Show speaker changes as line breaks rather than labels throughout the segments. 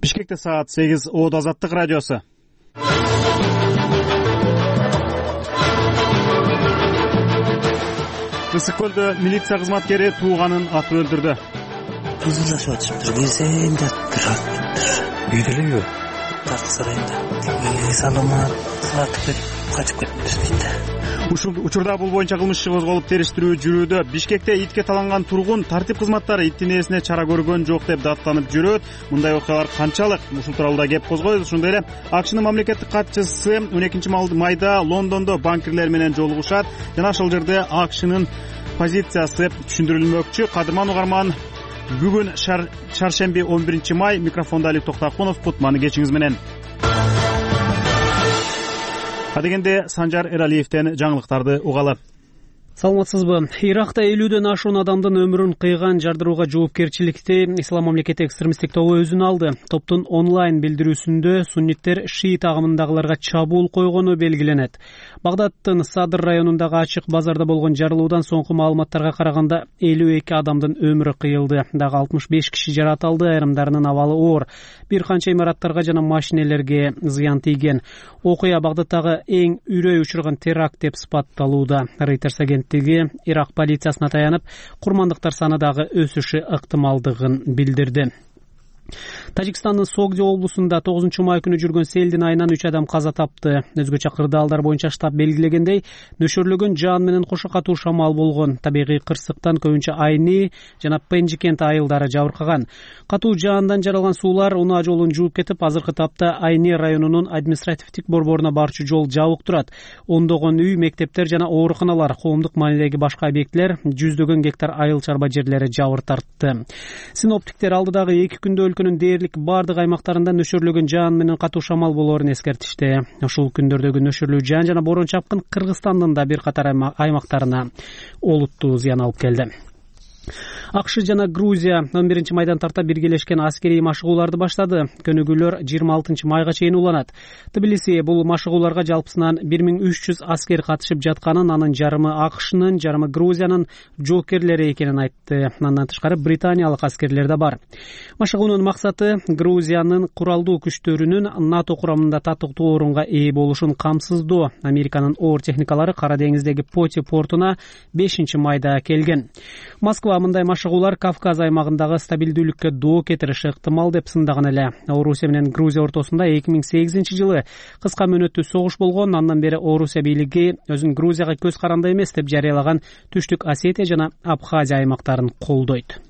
Бишкекте саат 8. Оод Азаттык радиосу. Ысык көлдө милиция кызматкери тууганын атып өлтүрдү.
Кызылдашып атышыптыр, кирсем жатыптыр. Үйдө элеби? Тарты сарайында. Саламат, сатып кетип, качып кетиптир дейт.
Учурда бул боюнча кылмыш иши козголуп териштирүү жүрүүдө. Бишкекте итке таланган тургун тартип кызматтары иттин ээсине чара көргөн жок деп даттанып жүрөт. Мындай окуялар канчалык? Ушул тууралуу да кеп козгойлу. Ошондой эле АКШнын мамлекеттик катчысы 12-майда Лондондо банкирлер менен жолугушат жана ошол жерде АКШнын позициясы түшүндүрүлмөкчү. Кадырман угарман, бүгүн шаршемби 11-май. Микрофондо Алик Токтакунов. Кутман кечиңиз менен. Адегенде Санжар Эралиевден жаңылыктарды угалы.
Саламатсызбы? Иракта 50дөн ашуун адамдын өмүрүн кыйган жардырууга жоопкерчиликти Ислам мамлекети экстремисттик тобу өзүнө алды. Топтун онлайн билдирүүсүндө сунниттер шиит агымындагыларга чабуул койгону белгиленет. Багдадтын Садр районундагы ачык базарда болгон жарылуудан соңку маалыматтарга караганда 52 адамдын өмүрү кыйылды. Дагы 65 киши жаратылды, айрымдарынын абалы оор. Бир канча имараттарга жана машинелерге зыян тийген. Окуя Багдадтагы эң үрөй учурган теракт деп сыпатталууда. Reuters агенттиги Ирак полициясына таянып, курмандыктар саны дагы өсүшү ыктымалдыгын билдирди. Тажикстандын Согди облусунда 9-май күнү жүргөн селдин айынан 3 адам каза тапты. Өзгөчө кырдаалдар боюнча штаб белгилегендей, нөшөрлөгөн жаан менен кошо катуу шамал болгон. Табигый кырсыктан көбүнчө Айни жана Пенжи кент айылдары жабыркаган. Катуу жаандан жаралган суулар унаа жолун жууп кетип, азыркы тапта Айни районунун административдик борборуна барчу жол жабык турат. Ондогон үй, мектептер жана ооруканалар, коомдук маанилеги башка объектилер, жүздөгөн гектар айыл чарба жерлери жабыр тартты. Синоптиктер алдыдагы 2 күндө өлкөнүн дээрлик бардык аймактарында нөшөрлөгөн жаан менен катуу шамал болоорун эскертишти. Ушул күндөрдөгү нөшөрлүү жаан жана борон чапкын Кыргызстандын да бир катар аймактарына олуттуу зыян алып келди. АКШ жана Грузия 11-майдан тарта биргелешкен аскерий машыгууларды баштады. Көнүгүүлөр 26-майга чейин уланат. Тбилиси бул машыгууларга жалпысынан 1300 аскер катышып жатканын, анын жарымы АКШнын, жарымы Грузиянын жоокерлери экенин айтты. Андан тышкары британиялык аскерлер да бар. Машыгуунун максаты Грузиянын куралдуу күчтөрүнүн НАТО курамында татыктуу орунга ээ болушун камсыздоо. Американын оор техникалары Кара деңиздеги Поти портуна 5-майда келген. Москва мындай машыгуулар Кавказ аймагындагы стабилдүүлүккө доо кетириши ыктымал деп сындаган эле. Орусия менен Грузия ортосунда 2008-жылы кыска мөөнөттүү согуш болгон. Андан бери Орусия бийлиги өзүн Грузияга көз каранды эмес деп жарыялаган Түштүк Осетия жана Абхазия аймактарын колдойт.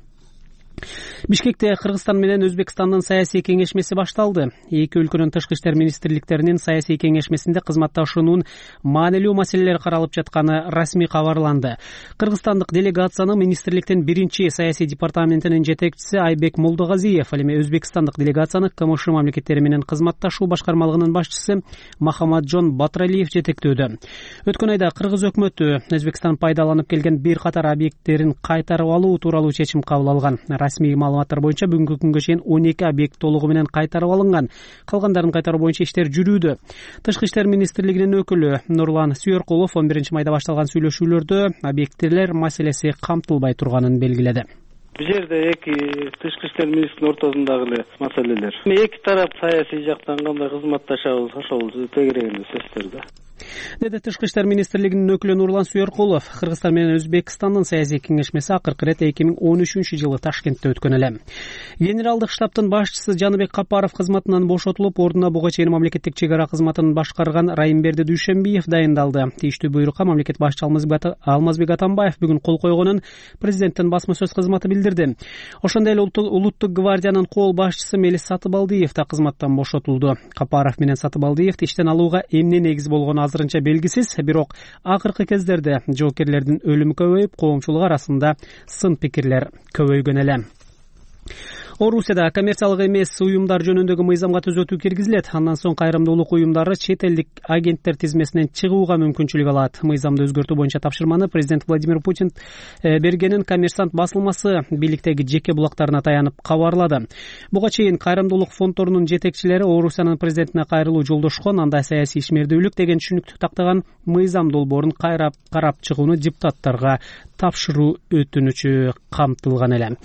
Бишкекте Кыргызстан менен Өзбекстандын саясий кеңешмеси башталды. Эки өлкөнүн тышкы иштер министрликтеринин саясий кеңешмесинде кызматташуунун маанилүү маселелери каралып жатканы расмий кабарланды. Кыргызстандык делегацияны министрликтин биринчи саясий департаментинин жетекчиси Айбек Молдогазиев, ал эми Өзбекстандык делегацияны КМШ мамлекеттери менен кызматташуу башкармалыгынын башчысы Махамаджон Батралиев жетектөөдө. Өткөн айда Кыргыз өкмөтү Өзбекстан пайдаланып келген бир катар объекттерин кайтарып алуу тууралуу чечим кабыл алган. Расмий маалыматтар боюнча бүгүнкү күнгө чейин 12 объект толугу менен кайтарып алынган. Калгандарын кайтаруу боюнча иштер жүрүүдө. Тышкы иштер министрлигинин өкүлү Нурлан Сүйөркулов 11-майда башталган сүйлөшүүлөрдө объекттер маселеси камтылбай турганын белгиледи.
Бул жерде эки тышкы иштер министринин ортосундагы эле маселелер. Эки тарап саясий жактан кандай кызматташабыз, ошол тегерегинде сөздөр да.
Деди Тышкы иштер министрлигинин өкүлү Нурлан Сүйөркулов. Кыргызстан менен Өзбекстандын саясий кеңешмеси акыркы ирет 2013-жылы Ташкентте өткөн эле. Генералдык штабтын башчысы Жаныбек Капаров кызматынан бошотулуп, ордуна буга чейин мамлекеттик чек ара кызматын башкарган Райымберди Дүйшөнбиев дайындалды. Тийиштүү буйрукка мамлекет башчысы Алмазбек Атамбаев бүгүн кол койгонун президенттин басма сөз кызматы билдирди. Ошондой эле Улуттук гвардиянын кол башчысы Мелис Сатыбалдиев да кызматтан бошотулду. Капаров менен Сатыбалдиевди иштен алууга эмне негиз болгону азырынча белгисиз, бирок акыркы кездерде жоокерлердин өлүмү көбөйүп, коомчулук арасында сын пикирлер көбөйгөн эле. Орусияда коммерциялык эмес уюмдар жөнүндөгү мыйзамга түзөтүү киргизилет. Андан соң кайрымдуулук уюмдары чет элдик агенттер тизмесинен чыгууга мүмкүнчүлүк алат. Мыйзамды өзгөртүү боюнча тапшырманы президент Владимир Путин бергенин Коммерсант басылмасы бийликтеги жеке булактарына таянып кабарлады. Буга чейин кайрымдуулук фонддорунун жетекчилери Орусиянын президентине кайрылуу жолдошкон, анда саясий ишмердүүлүк деген түшүнүктү тактаган мыйзам долбоорун карап чыгууну депутаттарга тапшыруу өтүнүчү камтылган эле.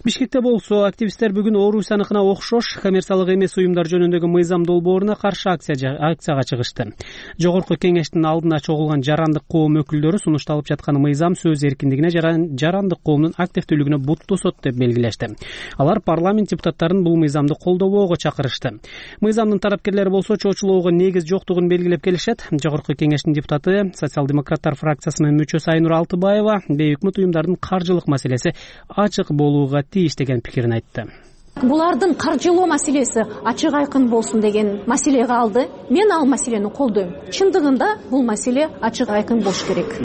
Бишкекте болсо активист активисттер бүгүн Орусияныкына окшош коммерциялык эмес уюмдар жөнүндөгү мыйзам долбооруна каршы акцияга чыгышты. Жогорку кеңештин алдына чогулган жарандык коом өкүлдөрү сунушталып жаткан мыйзам сөз эркиндигине жарандык коомдун активдүүлүгүнө бут тосот деп белгилешти. Алар парламент депутаттарын бул мыйзамды колдобоого чакырышты. Мыйзамдын тарапкерлери болсо чоочулоого негиз жоктугун белгилеп келишет. Жогорку кеңештин депутаты, социал-демократтар фракциясынын мүчөсү Айнур Алтыбаева бейөкмөт уюмдардын каржылык маселеси ачык болууга тийиш деген пикирин айтты.
Булардын каржылоо маселеси ачык айкын болсун деген маселе калды. Мен ал маселени колдойм. Чындыгында бул маселе ачык айкын болуш керек,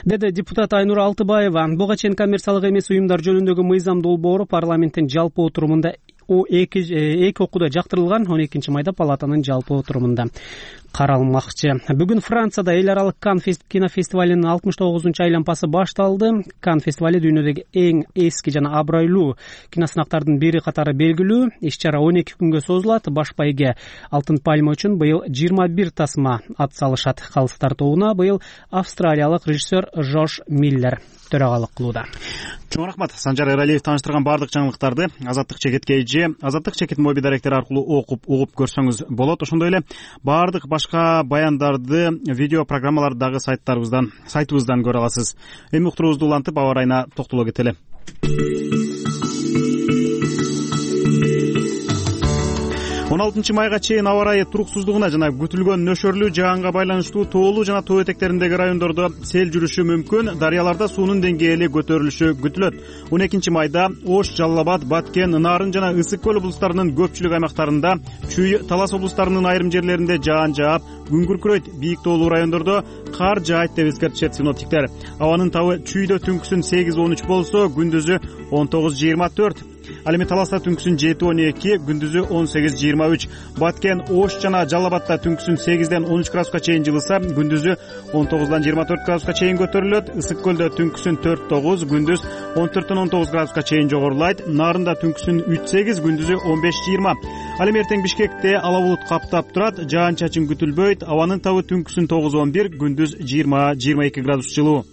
деди депутат Айнур Алтыбаева. Буга чейин коммерциялык эмес уюмдар жөнүндөгү мыйзам долбоору парламенттин жалпы отурумунда эки окууда жактырылган, 12 майда палатанын жалпы отурумунда каралмакчы. Бүгүн Францияда эл аралык Кан кинофестивалинин 69-чу айланпасы башталды. Кан фестивали дүйнөдөгү эң эски жана абройлуу киносынактардын бири катары белгилүү. Иш-чара 12 күнгө созулат. Баш байге Алтын пальма үчүн быйыл 21 тасма ат салышат. Калыстар тобуна быйыл австралиялык режиссер Жош Миллер төрагалык кылууда.
Чоң рахмат. Санжар Эралиев тааныштырган бардык жаңылыктарды Азаттык чекетке же Азаттык чекет моби даректери аркылуу угуп көрсөңүз болот. Ошондой эле бардык башка баяндарды, видео программаларды дагы сайтыбыздан көрө аласыз. Эми уктуруубузду улантып аба ырайына токтоло кетели. 16 майга чейин аба ырайы туруксуздугуна жана күтүлгөн нөшөрлүү жаганга байланыштуу тоолуу жана тоо этектериндеги райондордо сел жүрүшү мүмкүн. Дарыяларда суунун деңгээли көтөрүлүшү күтүлөт. 12 майда Ош, Жалал Абад, Баткен, Нарын жана Ысык көл облустарынын көпчүлүк аймактарында, Чүй, Талас облустарынын айрым жерлеринде жаан жаап, күн күркүрөйт. Бийик тоолуу райондордо кар жаайт деп эскертишет синоптиктер. Абанын табы Чүйдө түнкүсүн 8-13 болсо, күндүзү 19-24. Ал эми Таласта түнкүсүн 7-12, күндүзү 18-23. Баткен, Ош жана Жалал Абадта түнкүсүн 8-ден 13 градуска чейин жылыса, күндүзү 19-дан 24 градуска чейин көтөрүлөт. Ысык көлдө түнкүсүн 4-9, күндүз 14-тен 19 градуска чейин жогорулайт. Нарында түнкүсүн 3-8, күндүзү 15-20. Ал эми эртең Бишкекте ала булут каптап турат, жаан-чачын күтүлбөйт. Абанын табы түнкүсүн 9-11, күндүз 20-22 градус жылуу.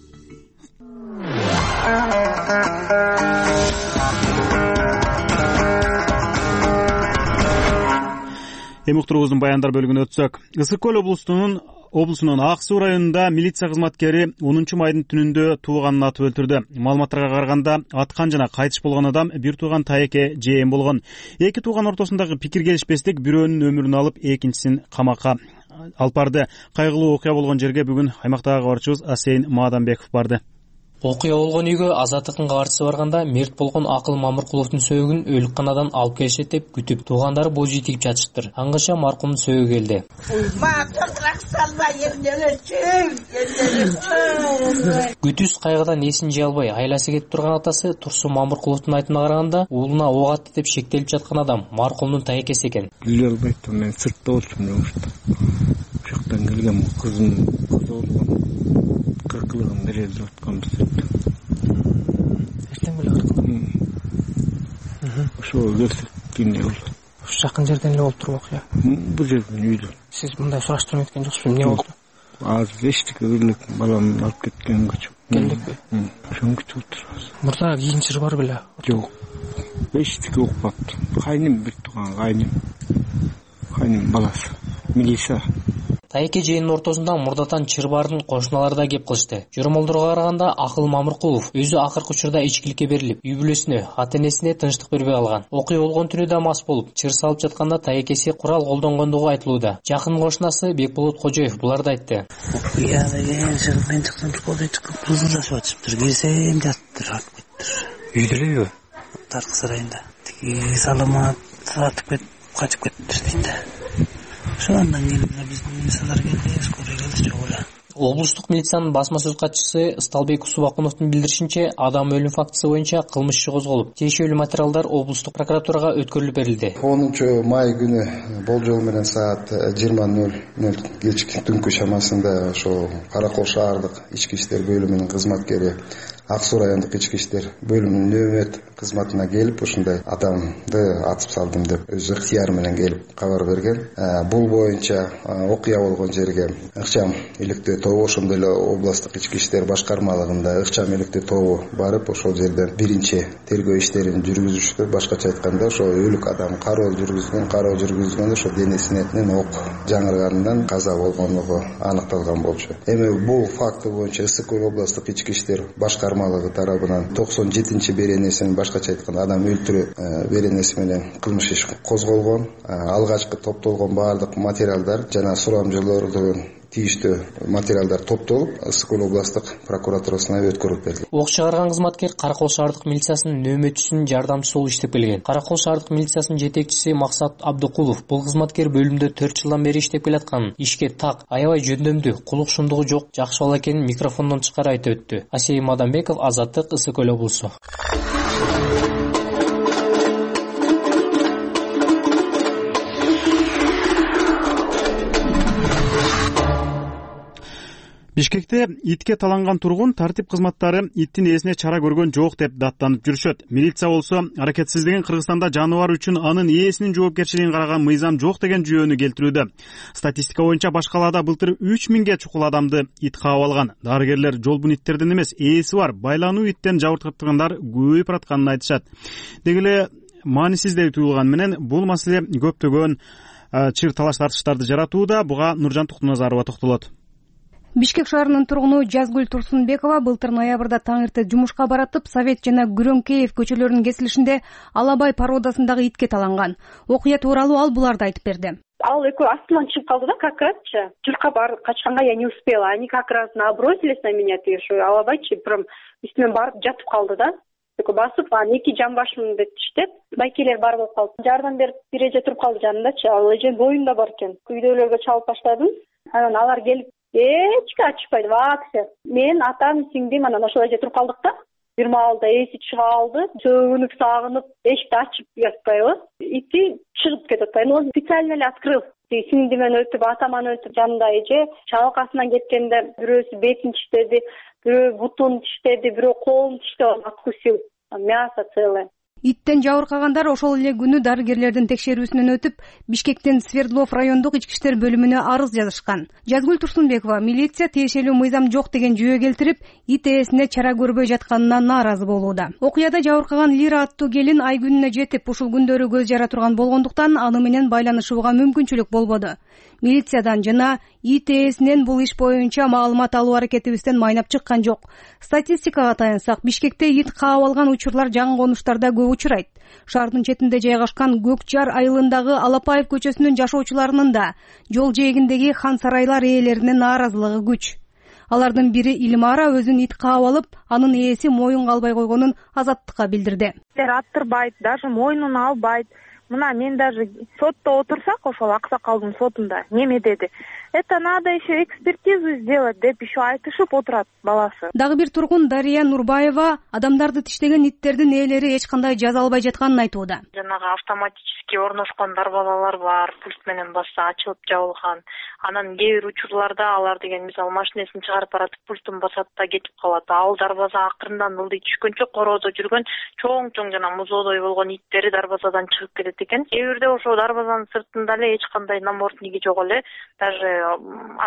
Эми уктуруубуздун баяндар бөлүгүнө өтсөк, Ысык көл облусунун Ак Суу районунда милиция кызматкери 10 майдын түнүндө тууганын атып өлтүрдү. Маалыматтарга караганда, аткан жана кайтыш болгон адам бир тууган Тайеке Жээн болгон. Эки тууган ортосундагы пикир келишпестик бирөөнүн өмүрүн алып, экинчисин камакка алып барды. Кайгылуу окуя болгон жерге бүгүн аймактагы кабарчыбыз Асейин Мааданбеков барды.
Окуя болгон үйгө Азаттыктын кабарчысы барганда мерт болгон Акыл Мамыркуловдун сөөгүн өлүкканадан алып келишет деп күтүп, туугандары боз үй тигип жатыштыр. Аңгыча маркумдун сөөгү келди. Күтүс кайгыдан эсин жыя албай айласы кетип турган атасы Турсун Мамыркуловдун айтымына караганда, уулуна ок атты деп шектелип жаткан адам маркумдун Тайекеси экен.
Биле албайт, мен сыртта болчумун. Жактан келген кызым болгон. Кыркылыгын берелип атканбыз деп.
Эртең беле кыркылды.
Ошо келсекине болду.
Ушу жакын жерден эле болуп турбу окуя?
Бул жерден үйдө.
Сиз мындай сураштырып кеткен жоксузбу? Эмне болду?
Азыр эчтеке элек баламды алып кеткенге
келдикпи?
Ошону күтүп отурабыз.
Мурда кийин чыр бар беле?
Жок. Эчтеке укпаптыр. Кайным бир тууган кайным баласы. Милиция.
Тайеке Жээнин ортосунда мурдатан чыр барын кошуналары да кеп кылышты. Жөрөмолдорго караганда Акыл Мамыркулов өзү акыркы учурда ичкиликке берилип, үй бүлөсүнө, ата-энесине тынчтык бербей калган. Окуя болгон түнү да мас болуп, чыр салып жатканда Тайекеси курал колдонгондугу айтылууда. Жакын кошунасы Бекболот Кожоев буларды айтты.
Окуяда мен чыксам кызылдашып атышыптыр, кирсем жатыптыр.
Үйдө элеби?
Таркы сарайында. Тиги саламат сатып кетип, качып кетиптир дейт. Ошондон кийин биздин мисалдар келди, скорый келди жок эле.
Облустук милициянын басма сөз катчысы Ысталбек Субакуновдун билдиришинче, адам өлүм фактысы боюнча кылмыш иши козголуп, тиешелүү материалдар облустук прокуратурага өткөрүлүп берилди.
10 май күнү болжол менен саат 20:00 кечки түнкү шамасында ошо Каракол шаардык ички иштер бөлүмүнүн кызматкери Ак Суу райондук ички иштер бөлүмүнүн нөөмөт кызматына келип ушундай адамды атып салдым деп өз ыктыяры менен келип кабар берген. Бул боюнча окуя болгон жерге ыкчам иликтөө тобу, ошондой эле областтык ички иштер башкармалыгында ыкчам иликтөө тобу барып ошол жерден биринчи тергөө иштерин жүргүзүштү. Башкача айтканда ошо өлүк адам кароо жүргүзгөндө ошо денесинен ок жаңырганынан каза болгондугу аныкталган болчу. Эми бул факты боюнча Ысык Көл областтык ички иштер башкармалыгы тарабынан 97 беренесин, башкача айтканда адам өлтүрүү беренеси менен кылмыш иш козголгон. Алгачкы топтолгон баардык материалдар жана сурамжылоордун тийиштүү материалдар топтолуп Ысык Көл областтык прокуратурасына өткөрүлүп берилди.
Ок чыгарган кызматкер Каракол шаардык милициясынын нөөмөтчүсүнүн жардамчысы болуп иштеп келген. Каракол шаардык милициясынын жетекчиси Максат Абдыкулов бул кызматкер бөлүмдө 4 жылдан бери иштеп келатканын, ишке так, аябай жөндөмдүү, кулук шумдугу жок, жакшы бала экенин микрофондон тышкары айтып өттү. Асей Мадамбеков, Азаттык, Ысык Көл облусу.
Бишкекте итке таланган тургун тартип кызматтары иттин ээсине чара көргөн жок деп даттанып жүрүшөт. Милиция болсо аракетсиздигин Кыргызстанда жаныбар үчүн анын ээсинин жоопкерчилигин караган мыйзам жок деген жүйөнү келтирүүдө. Статистика боюнча баш калаада былтыр 3000 чукул адамды ит каап алган. Дарыгерлер жолбун иттерден эмес, ээси бар байлануу иттен жабыркатгандар көбөйүп атканын айтышат. Деги эле маанисиздей туюлган менен бул маселе көптөгөн чыр талаш тартыштарды жаратууда. Буга Нуржан Туктуназарова токтолот.
Бишкек шаарынын тургуну Жазгүл Турсунбекова былтыр ноябрда таң эрте жумушка баратып, Совет жана Күрөңкеев көчөлөрүнүн кесилишинде Алабай породасындагы итке таланган. Окуя тууралуу ал буларды айтып берди.
Ал экөө астынан чыгып калды да, как разчы. Чурка барып качканга я не успела. Они как раз набросились на меня, тиешо. Алабайчы прям үстүмөн барып жатып калды да. Экөө басып, эки жамбашым деп иштеп, байкелер бар болуп калды. Жардам берип бир эже туруп калды жанындачы. Ал эже боюнда бар экен. Үйдөлөргө чалып баштадым. Анан алар келип эчке ачпайды, вообще. Мен атам, сиңдим, анан ошол эже туруп калдык да. Бир маалда эси чыга алды, сөгүнүп, сагынып, эшикти ачып жатпайбы. Ити чыгып кетип атпайбы. Он специально эле открыл. Сиңдимен өтүп, атаман өтүп, жанында эже чалкасынан кеткенде бирөөсү бетин тиштеди, бирөө бутун тиштеди, бирөө колун тиштеп откусил. Мясо целое.
Иттен жабыркагандар ошол эле күнү дарыгерлердин текшерүүсүнөн өтүп, Бишкектен Свердлов райондук ички иштер бөлүмүнө арыз жазышкан. Жазгүл Турсунбекова милиция тиешелүү мыйзам жок деген жүйө келтирип, ит ээсине чара көрбөй жатканына нааразы болууда. Окуяда жабыркаган Лира аттуу келин ай күнүнө жетип, ушул күндөрү көз жара турган болгондуктан аны менен байланышууга мүмкүнчүлүк болбоду. Милициядан жана ит ээсинен бул иш боюнча маалымат алуу аракетибизден майнап чыккан жок. Статистикага таянсак, Бишкекте ит каап алган учурлар жаңы конуштарда көп учурайт. Шаардын четинде жайгашкан Көк Жар айылындагы Алапаев көчөсүнүн жашоочуларынын да жол жээгиндеги хан сарайлар ээлеринин нааразылыгы күч. Алардын бири Илмара өзүн ит каап алып, анын ээси моюнга албай койгонун Азаттыкка билдирди.
Аттырбайт, даже мойнуна албайт. Мына мен даже сотто отурсак, ошол аксакалдын сотунда неме деди. Это надо еще экспертизу сделать деп еще айтышып отурат баласы.
Дагы бир тургун Дария Нурбаева адамдарды тиштеген иттердин ээлери эч кандай жаза албай жатканын айтууда.
Жанагы автоматически орношкон дарбазалар бар, пульт менен басса ачылып жабылган. Анан кээ бир учурларда алар деген мисалы машинесин чыгарып баратып пультун басат да кетип калат. Ал дарбаза акырындан ылдый түшкөнчө короодо жүргөн чоң жана музоодой болгон иттери дарбазадан чыгып кетет экен. Кээ бирде ошо дарбазанын сыртында эле эч кандай намордниги жок эле, даже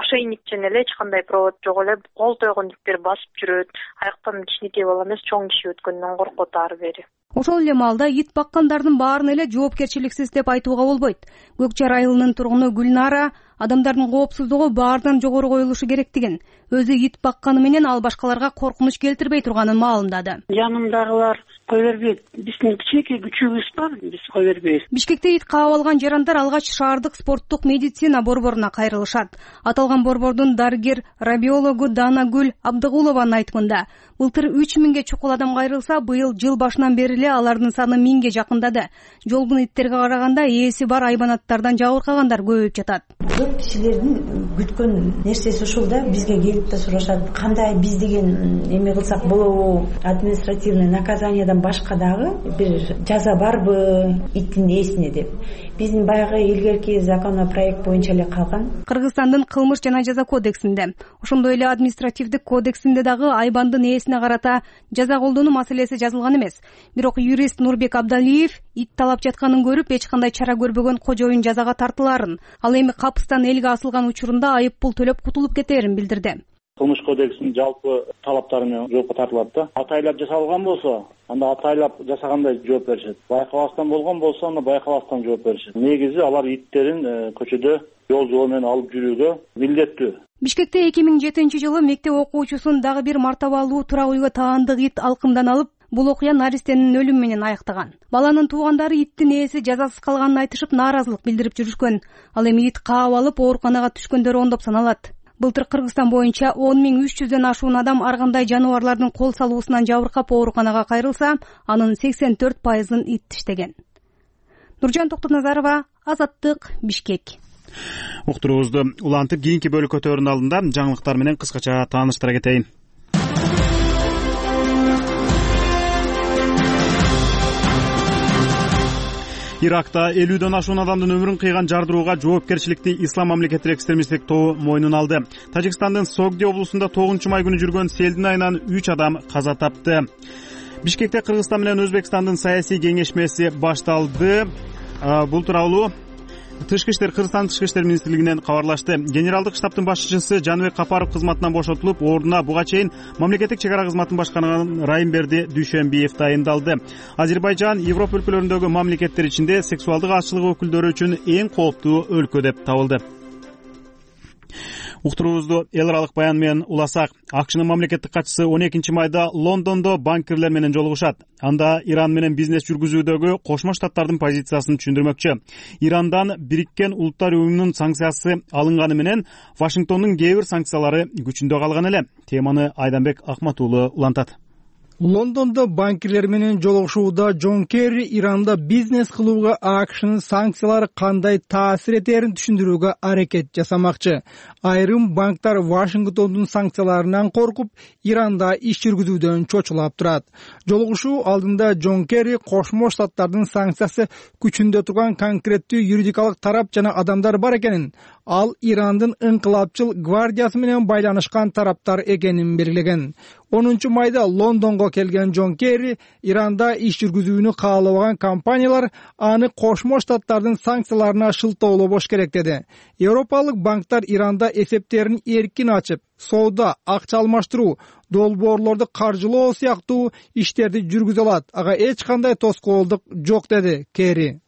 ошейниктен эле эч кандай провод жок эле, кол тойгон иттер басып жүрөт. Аяктан кичинекей бала эмес, чоң киши өткөндөн коркот ары бери.
Ошол эле маалда ит баккандардын баарын эле жоопкерчиликсиз деп айтууга болбойт. Көк Жар айылынын тургуну Гүлнара адамдардын коопсуздугу баарынан жогору коюлушу керектигин, өзү ит бакканы менен ал башкаларга коркунуч келтирбей турганын маалымдады.
Жанымдагылар кой бербейт. Биздин кичинекей күчүбүз бар, биз кой бербейбиз.
Бишкекте ит каап алган жарандар алгач шаардык спорттук медицина борборуна кайрылышат. Аталган борбордун дарыгер рабиологу Данагүл Абдыгулованын айтымында, былтыр 3000 чукул адам кайрылса, быйыл жыл башынан бери эле алардын саны 1000 жакындады. Жолбун иттерге караганда ээси бар айбанаттардан жабыркагандар көбөйүп жатат.
көп кишилердин күткөн нерсеси ушул да, бизге келип да сурашат, кандай биз деген эме кылсак болобу, административный наказаниядан башка дагы бир жаза барбы иттин ээсине деп. Биздин баягы илгерки законопроект боюнча эле калган.
Кыргызстандын кылмыш жана жаза кодексинде, ошондой эле административдик кодексинде дагы айбандын ээсине карата жаза колдонуу маселеси жазылган эмес. Бирок юрист Нурбек Абдалиев ит талап жатканын көрүп, эч кандай чара көрбөгөн кожоюн жазага тартылаарын, ал эми капыстан элге асылган учурунда айып пул төлөп кутулуп кетерин билдирди.
Кылмыш кодексинин жалпы талаптары менен жоопко тартылат да. Атайлап жасалган болсо, анда атайлап жасагандай жооп беришет. Байкабастан болгон болсо, анда байкабастан жооп беришет. Негизи алар иттерин көчөдө жол жол менен алып жүрүүгө милдеттүү.
Бишкекте 2007-жылы мектеп окуучусун дагы бир мартабалуу турак үйгө таандык ит алкымдан алып, бул окуя наристенин өлүмү менен аяктаган. Баланын туугандары иттин ээси жазасыз калганын айтышып нааразылык билдирип жүрүшкөн. Ал эми ит каап алып ооруканага түшкөндөр ондоп саналат. Былтыр Кыргызстан боюнча 10.300дөн ашуун адам ар кандай жаныбарлардын кол салуусунан жабыркап ооруканага кайрылса, анын 84%ын ит тиштеген. Нуржан Токтоназарова, Азаттык, Бишкек.
Уктуруубузду улантып, кийинки бөлүк өтөөрүнүн алдында жаңылыктар менен кыскача тааныштыра кетейин. Иракта 50дөн ашуун адамдын өмүрүн кыйган жардырууга жоопкерчиликти Ислам мамлекеттик экстремисттик тобу мойнуна алды. Тажикстандын Согди облусунда 9-май күнү жүргөн селдин айынан 3 адам каза тапты. Бишкекте Кыргызстан менен Өзбекстандын саясий кеңешмеси башталды. Бул тууралуу Кыргызстан Тышкы иштер министрлигинен кабарлашты. Генералдык штабтын башчысы Жаныбек Капаров кызматынан бошотулуп, ордуна буга чейин мамлекеттик чек ара кызматын башкарган Райымберди Дүйшөнбиев тайындалды. Азербайжан Европа өлкөлөрүндөгү мамлекеттер ичинде сексуалдык азчылык өкүлдөрү үчүн эң кооптуу өлкө деп табылды. Уктуруубузду эл аралык баян менен уласак, АКШнын мамлекеттик катчысы 12-майда Лондондо банкирлер менен жолугушат. Анда Иран менен бизнес жүргүзүүдөгү Кошмо Штаттардын позициясын түшүндүрмөкчү. Ирандан Бириккен Улуттар уюмунун санкциясы алынганы менен Вашингтондун кээ бир санкциялары күчүндө калган эле. Теманы Айданбек Акматуулу улантат.
Лондондо банкирлер менен жолугушууда Джон Керри Иранда бизнес кылууга АКШнын санкциялары кандай таасир этерин түшүндүрүүгө аракет жасамакчы. Айрым банктар Вашингтондун санкцияларынан коркуп, Иранда иш жүргүзүүдөн чочулап турат. Жолугушуу алдында Джон Керри Кошмо Штаттардын санкциясы күчүндө турган конкреттүү юридикалык тарап жана адамдар бар экенин, ал Ирандын ыңкылапчыл гвардиясы менен байланышкан тараптар экенин белгилеген. 10-майда Лондонго келген Джон Керри Иранда иш жүргүзүүнү каалабаган компаниялар аны Кошмо Штаттардын санкцияларына шылтоолобош керек деди. Европалык банктар Иранда эсептерин эркин ачып, соода, акча алмаштыруу, долбоорлорду каржылоо сыяктуу иштерди жүргүзө алат. Ага эч кандай тоскоолдук жок деди Керри.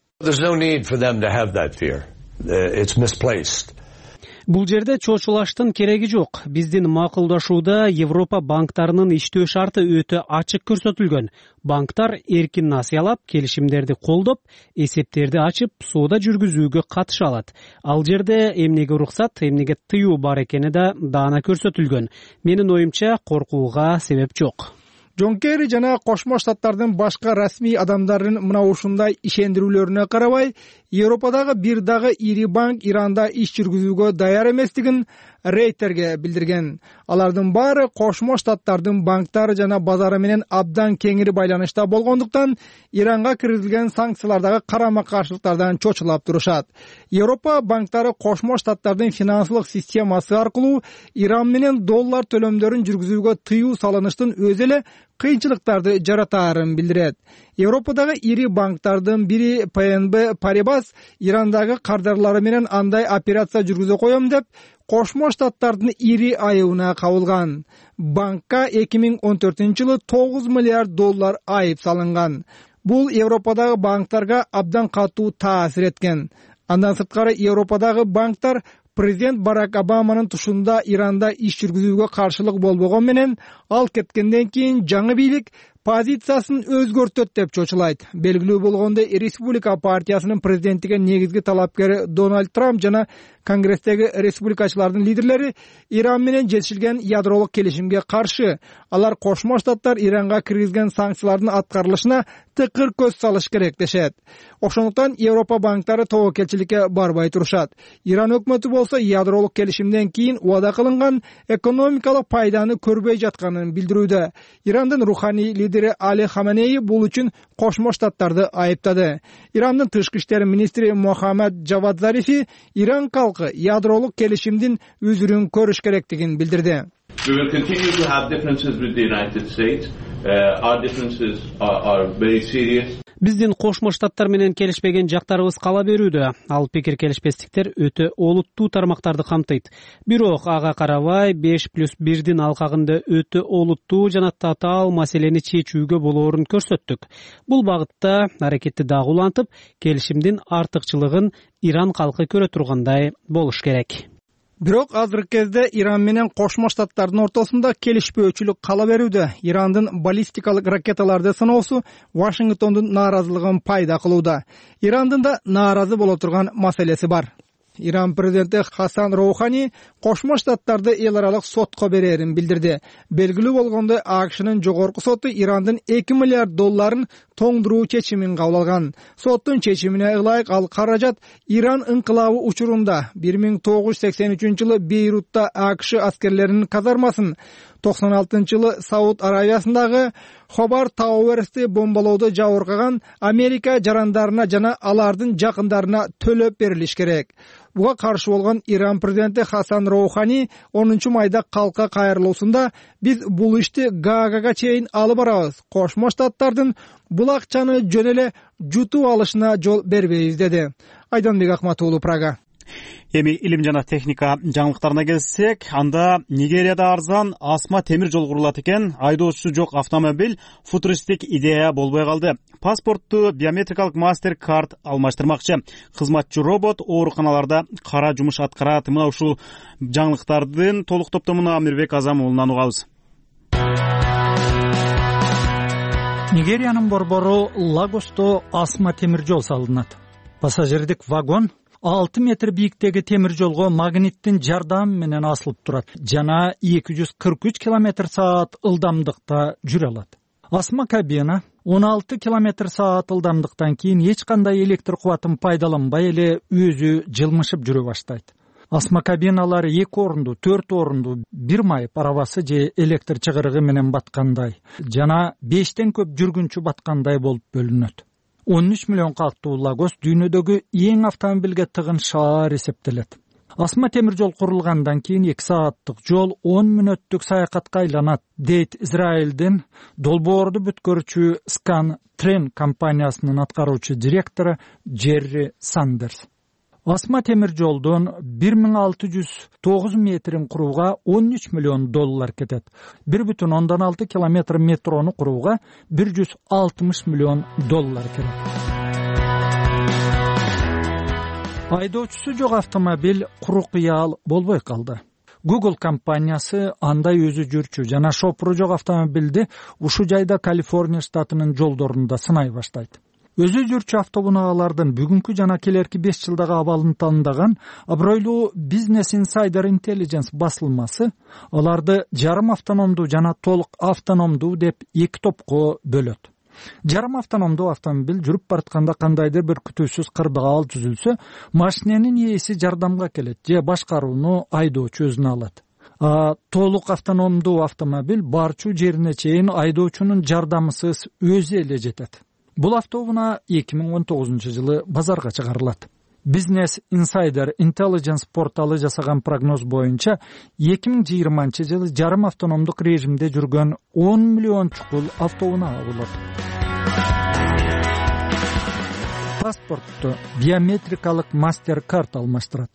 Бул жерде чочулаштын кереги жок. Биздин макулдашууда Европа банктарынын иштөө шарты өтө ачык көрсөтүлгөн. Банктар эркин насыялап, келишимдерди колдоп, эсептерди ачып, соода жүргүзүүгө катыша алат. Ал жерде эмнеге уруксат, эмнеге тыюу бар экени да даана көрсөтүлгөн. Менин оюмча, коркууга себеп жок.
Джон Керри жана Кошмо Штаттардын башка расмий адамдардын мына ушундай ишендирүүлөрүнө карабай, Европадагы бир дагы ири банк Иранда иш жүргүзүүгө даяр эместигин Рейтерге билдирген. Алардын баары Кошмо Штаттардын банктары жана базары менен абдан кеңири байланышта болгондуктан, Иранга киргизилген санкциялардагы карама-каршылыктардан чочулап турушат. Европа банктары Кошмо Штаттардын финансылык системасы аркылуу Иран менен доллар төлөмдөрүн жүргүзүүгө тыюу салыныштын өзү эле кыйынчылыктарды жаратаарын билдирет. Европадагы ири банктардын бири ПНБ Парибас Ирандагы кардарлары менен андай операция жүргүзө коем деп Кошмо Штаттардын ири айыбына кабылган. Банкка 2014-жылы 9 миллиард доллар айып салынган. Бул Европадагы банктарга абдан катуу таасир эткен. Андан сырткары Европадагы банктар президент Барак Обаманын тушунда Иранда иш жүргүзүүгө каршылык болбогон менен, ал кеткенден кийин жаңы бийлик позициясын өзгөртөт деп чочулайт. Белгилүү болгондой, Республика партиясынын президенттикке негизги талапкери Дональд Трамп жана Конгресстеги республикачылардын лидерлери Иран менен жетишилген ядролук келишимге каршы. Алар Кошмо Штаттар Иранга киргизген санкциялардын аткарылышына тыкыр көз салыш керек дешет. Ошондуктан Европа банктары тобокелчиликке барбай турушат. Иран өкмөтү болсо ядролук келишимден кийин убада кылынган экономикалык пайданы көрбөй жатканын билдирүүдө. Ирандын руханий лидери Али Хаменеи бул үчүн Кошмо Штаттарды айыптады. Ирандын тышкы иштер министри Мохаммад Джавад Зарифи Иран калкы ядролук келишимдин үзүрүн көрүш керектигин билдирди.
We will continue to have differences with the United States. Our differences are very serious.
Биздин Кошмо Штаттар менен келишпеген жактарыбыз кала берүүдө. Ал пикир келишпестиктер өтө олуттуу тармактарды камтыйт. Бирок ага карабай 5+1 алкагында өтө олуттуу жана татаал маселени чечүүгө болоорун көрсөттүк. Бул багытта аракетти дагы улантып, келишимдин артыкчылыгын Иран калкы көрө тургандай болуш керек.
Бирок азыркы кезде Иран менен Кошмо Штаттардын ортосунда келишпөөчүлүк кала берүүдө. Ирандын баллистикалык ракеталарды сыноосу Вашингтондун нааразылыгын пайда кылууда. Ирандын да нааразы боло турган маселеси бар. Иран президенти Хасан Роухани Кошмо Штаттарды эл аралык сотко берерин билдирди. Белгилүү болгондой, АКШнын жогорку соту Ирандын $2 миллиард тоңдуруу чечимин кабыл алган. Соттун чечимине ылайык ал каражат Иран инкылабы учурунда 1983-жылы Бейрутта АКШ аскерлеринин казармасын, 96-жылы Сауд Аравиясындагы Хобар Тауэрсти бомбалоодо жабыркаган Америка жарандарына жана алардын жакындарына төлөп берилиш керек. Буга каршы болгон Иран президенти Хасан Роухани 10-майда калка кайрылуусунда биз бул ишти Гаагага чейин алып барабыз. Кошмо Штаттардын бул акчаны жөн эле жутуп алышына жол бербейбиз деди. Айданбек Акматуулу, Прага.
Эми илим жана техника жаңылыктарына келсек, анда Нигерияда арзан асма темир жол курулат экен. Айдоочусу жок автомобиль футуристик идея болбой калды. Паспортту биометрикалык мастер-карт алмаштырмакчы. Кызматчы робот ооруканаларда кара жумуш аткарат. Мына ушул жаңылыктардын толук топтомуну Амирбек Азамуулунан угабыз.
Нигериянын борбору Лагосто асма темир жол салынат. Пассажирдик вагон 6 метр бийиктеги темир жолго магниттин жардамы менен асылып турат жана 243 км/саат ылдамдыкта жүрө алат. Асма кабина 16 км/саат ылдамдыктан кийин эч кандай электр кубатын пайдаланбай эле өзү жылмышып жүрө баштайт. Асма кабиналар 2 орунду, 4 орунду бир майып арабасы же электр чыгырыгы менен баткандай жана 5тен көп жүргүнчү баткандай болуп бөлүнөт. 13 миллион калктуу Лагос дүйнөдөгү эң автомобилге тыгын шаар эсептелет. Асма темир жол курулгандан кийин 2 сааттык жол 10 мүнөттүк саякатка айланат, дейт Израилдин долбоорду бүткөрүүчү Scan Train компаниясынын аткаруучу директору Джерри Сандерс. Асма темир жолдон 1609 метрин курууга $13 миллион кетет. 1,6 километр метрону курууга $160 миллион керек. Айдоочусу жок автомобиль куру кыял болбой калды. Google компаниясы андай өзү жүрчү жана шопуру жок автомобилди ушул жайда Калифорния штатынын жолдорунда сынай баштайт. Өзү жүрчү автоунаалардын бүгүнкү жана келерки 5 жылдагы абалын тандаган абройлуу Business Insider Intelligence басылмасы аларды жарым автономдуу жана толук автономдуу деп 2 топко бөлөт. Жарым автономдуу автомобиль жүрүп баратканда кандайдыр бир күтүүсүз кырдаал түзүлсө, машиненин ээси жардамга келет же башкарууну айдоочу өзүнө алат. Толук автономдуу автомобиль барчу жерине чейин айдоочунун жардамысыз өзү эле жетет. Бул автоунаа 2019-жылы базарга чыгарылат. Business Insider Intelligence порталы жасаган прогноз боюнча 2020-жылы жарым автономдук режимде жүргөн 10 миллион чукул автоунаа болот. Паспортту биометрикалык мастер-карт алмаштырат.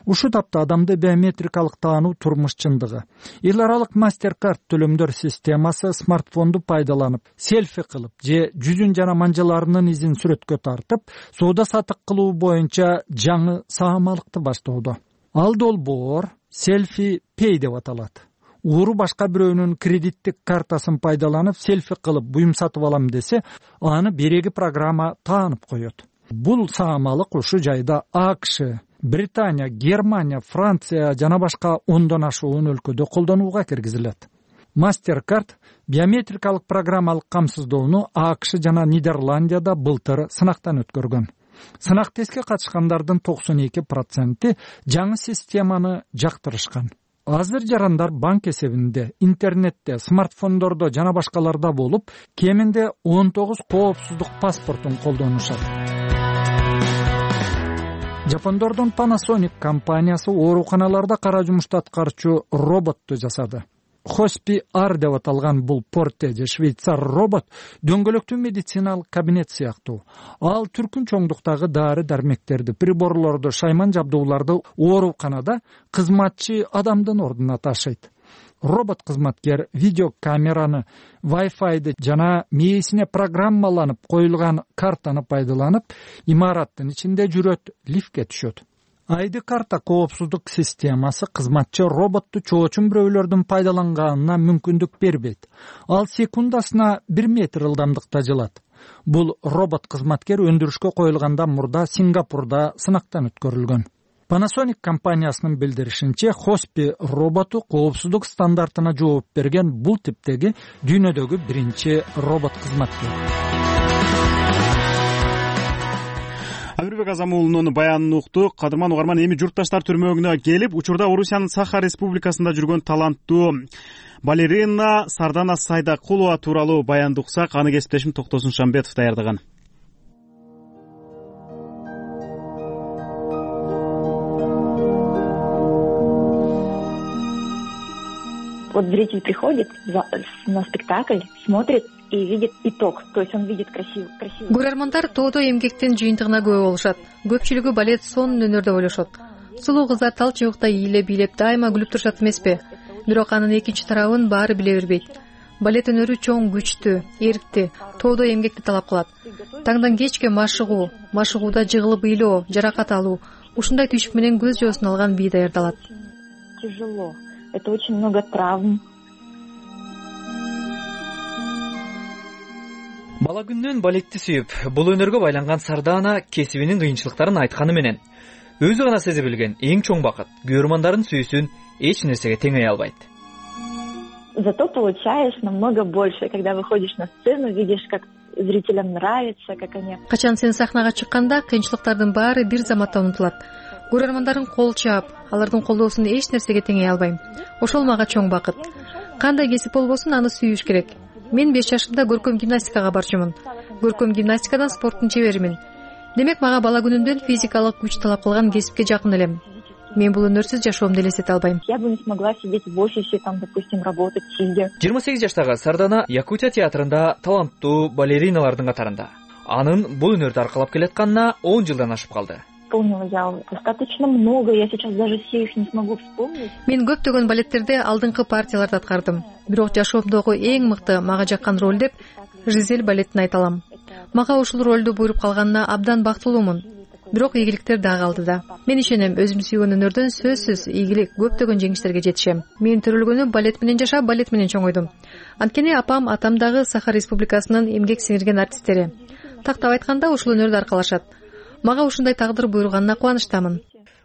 Ушул тапта адамды биометрикалык таануу турмуш чындыгы. Эл аралык мастер-карт төлөмдөр системасы смартфонду пайдаланып, селфи кылып же жүзүн жана манжаларынын изин сүрөткө тартып, соода сатык кылуу боюнча жаңы саамалыкты баштоодо. Ал долбоор селфи pay деп аталат. уру башка бирөөнүн кредиттик картасын пайдаланып селфи кылып буюм сатып алам десе, аны береги программа таанып коет. Бул саамалык ушул жайда АКШ, Британия, Германия, Франция жана башка 10дон ашуун өлкөдө колдонууга киргизилет. MasterCard биометрикалык программалык камсыздоону АКШ жана Нидерландияда былтыр сынактан өткөргөн. Сынак тестке катышкандардын 92% жаңы системаны жактырышкан. Азыр жарандар банк эсебинде, интернетте, смартфондордо жана башкаларда болуп, кеминде 19 коопсуздук паспортун колдонушат. Жапондордун Panasonic компаниясы ооруканаларда кара жумушту аткарчу роботту жасады. Хоспи Ар деп аталган бул порте же швейцар робот дөңгөлөктүү медициналык кабинет сыяктуу. Ал түркүн чоңдуктагы дары дармектерди, приборлорду, шайман жабдууларды ооруканада кызматчы адамдын ордуна ташыйт. Робот кызматкер видеокамераны, Wi-Fi'ды жана мээсине программаланып коюлган картаны пайдаланып, имараттын ичинде жүрөт, лифтке түшөт. ID карта коопсуздук системасы кызматчы роботту чоочун бирөөлөрдүн пайдаланганына мүмкүндүк бербейт. Ал секундасына 1 метр ылдамдыкта жылат. Бул робот кызматкер өндүрүшкө коюлгандан мурда Сингапурда сынактан өткөрүлгөн. Panasonic компаниясынын билдиришинче, Хоспи роботу коопсуздук стандартына жооп берген бул типтеги дүйнөдөгү биринчи робот кызматкер.
Амирбек Азамуулунун баянын уктук. Кадырман угарман, эми журтташтар түрмөгүнө келип, учурда Орусиянын Саха Республикасында жүргөн таланттуу балерина Сардана Сайдакулова тууралуу баянды уксак, аны кесиптешим Токтосун Шамбетов даярдаган.
Вот зритель приходит на спектакль, смотрит и видит итог, то есть он видит красиво.
Көрөрмандар тоодо эмгектин жыйынтыгына күбө болушат. Көпчүлүгү балет сонун өнөрдө ойлошот. Сулуу кыздар тал чыбыкта бийлеп дайыма күлүп турушат эмеспи? Бирок анын экинчи тарабын баары биле бербейт. Балет өнөрү чоң, күчтүү, эрктүү, тоодо эмгекти талап кылат. Таңдан кечке машыгуу, машыгууда жыгылып ыйлоо, жаракат алуу, ушундай түйшүк менен көз жоосун алган бий даярдалат.
Тяжело. Это очень много травм.
Бала күннөн балетти сүйүп, бул өнөргө байланган Сардана кесибинин кыйынчылыктарын айтканы менен өзү гана сезе билген эң чоң бакыт көрөрмандардын сүйүүсүн эч нерсеге теңей албайт.
Зато получаешь намного больше, когда выходишь на сцену, видишь, как зрителям нравится, как они.
Качан сен сахнага чыкканда кыйынчылыктардын баары бир заматта унутулат. Көрөрмандарын кол чаап, алардын колдоосун эч нерсеге теңей албайм. Ошол мага чоң бакыт. Кандай кесип болбосун, аны сүйүш керек. Мен 5 жашымда көркөм гимнастикага барчумун. Көркөм гимнастикадан спорттун чеберимин. Демек мага бала күнүмдөн физикалык күч талап кылган кесипке жакын элем. Мен бул өнөрсүз жашоомду элестете албайм.
Я бы не смогла сидеть в офисе, там, допустим, работать сидя.
28 жаштагы Сардана Якутия театрында таланттуу балериналардын катарында. Анын бул өнөрдү аркалап келатканына 10 жылдан ашып калды.
Исполнила я достаточно много, я сейчас даже все их не смогу вспомнить.
Мен көптөгөн балеттерде алдыңкы партияларды аткардым. Бирок жашоомдогу эң мыкты мага жаккан роль деп Жизель балетин айта алам. Мага ушул ролду буйруп калганына абдан бактылуумун. Бирок ийгиликтер да калды да. Мен ишенем, өзүм сүйгөн өнөрдөн сөзсүз ийгилик, көптөгөн жеңиштерге жетишем. Мен төрөлгөнү балет менен жашап, балет менен чоңойдум. Анткени апам, атам дагы Саха Республикасынын эмгек сиңирген артисттери. Тактап айтканда ушул өнөрдү аркалашат. Мага ушундай тагдыр буйруганына кубанычтамын.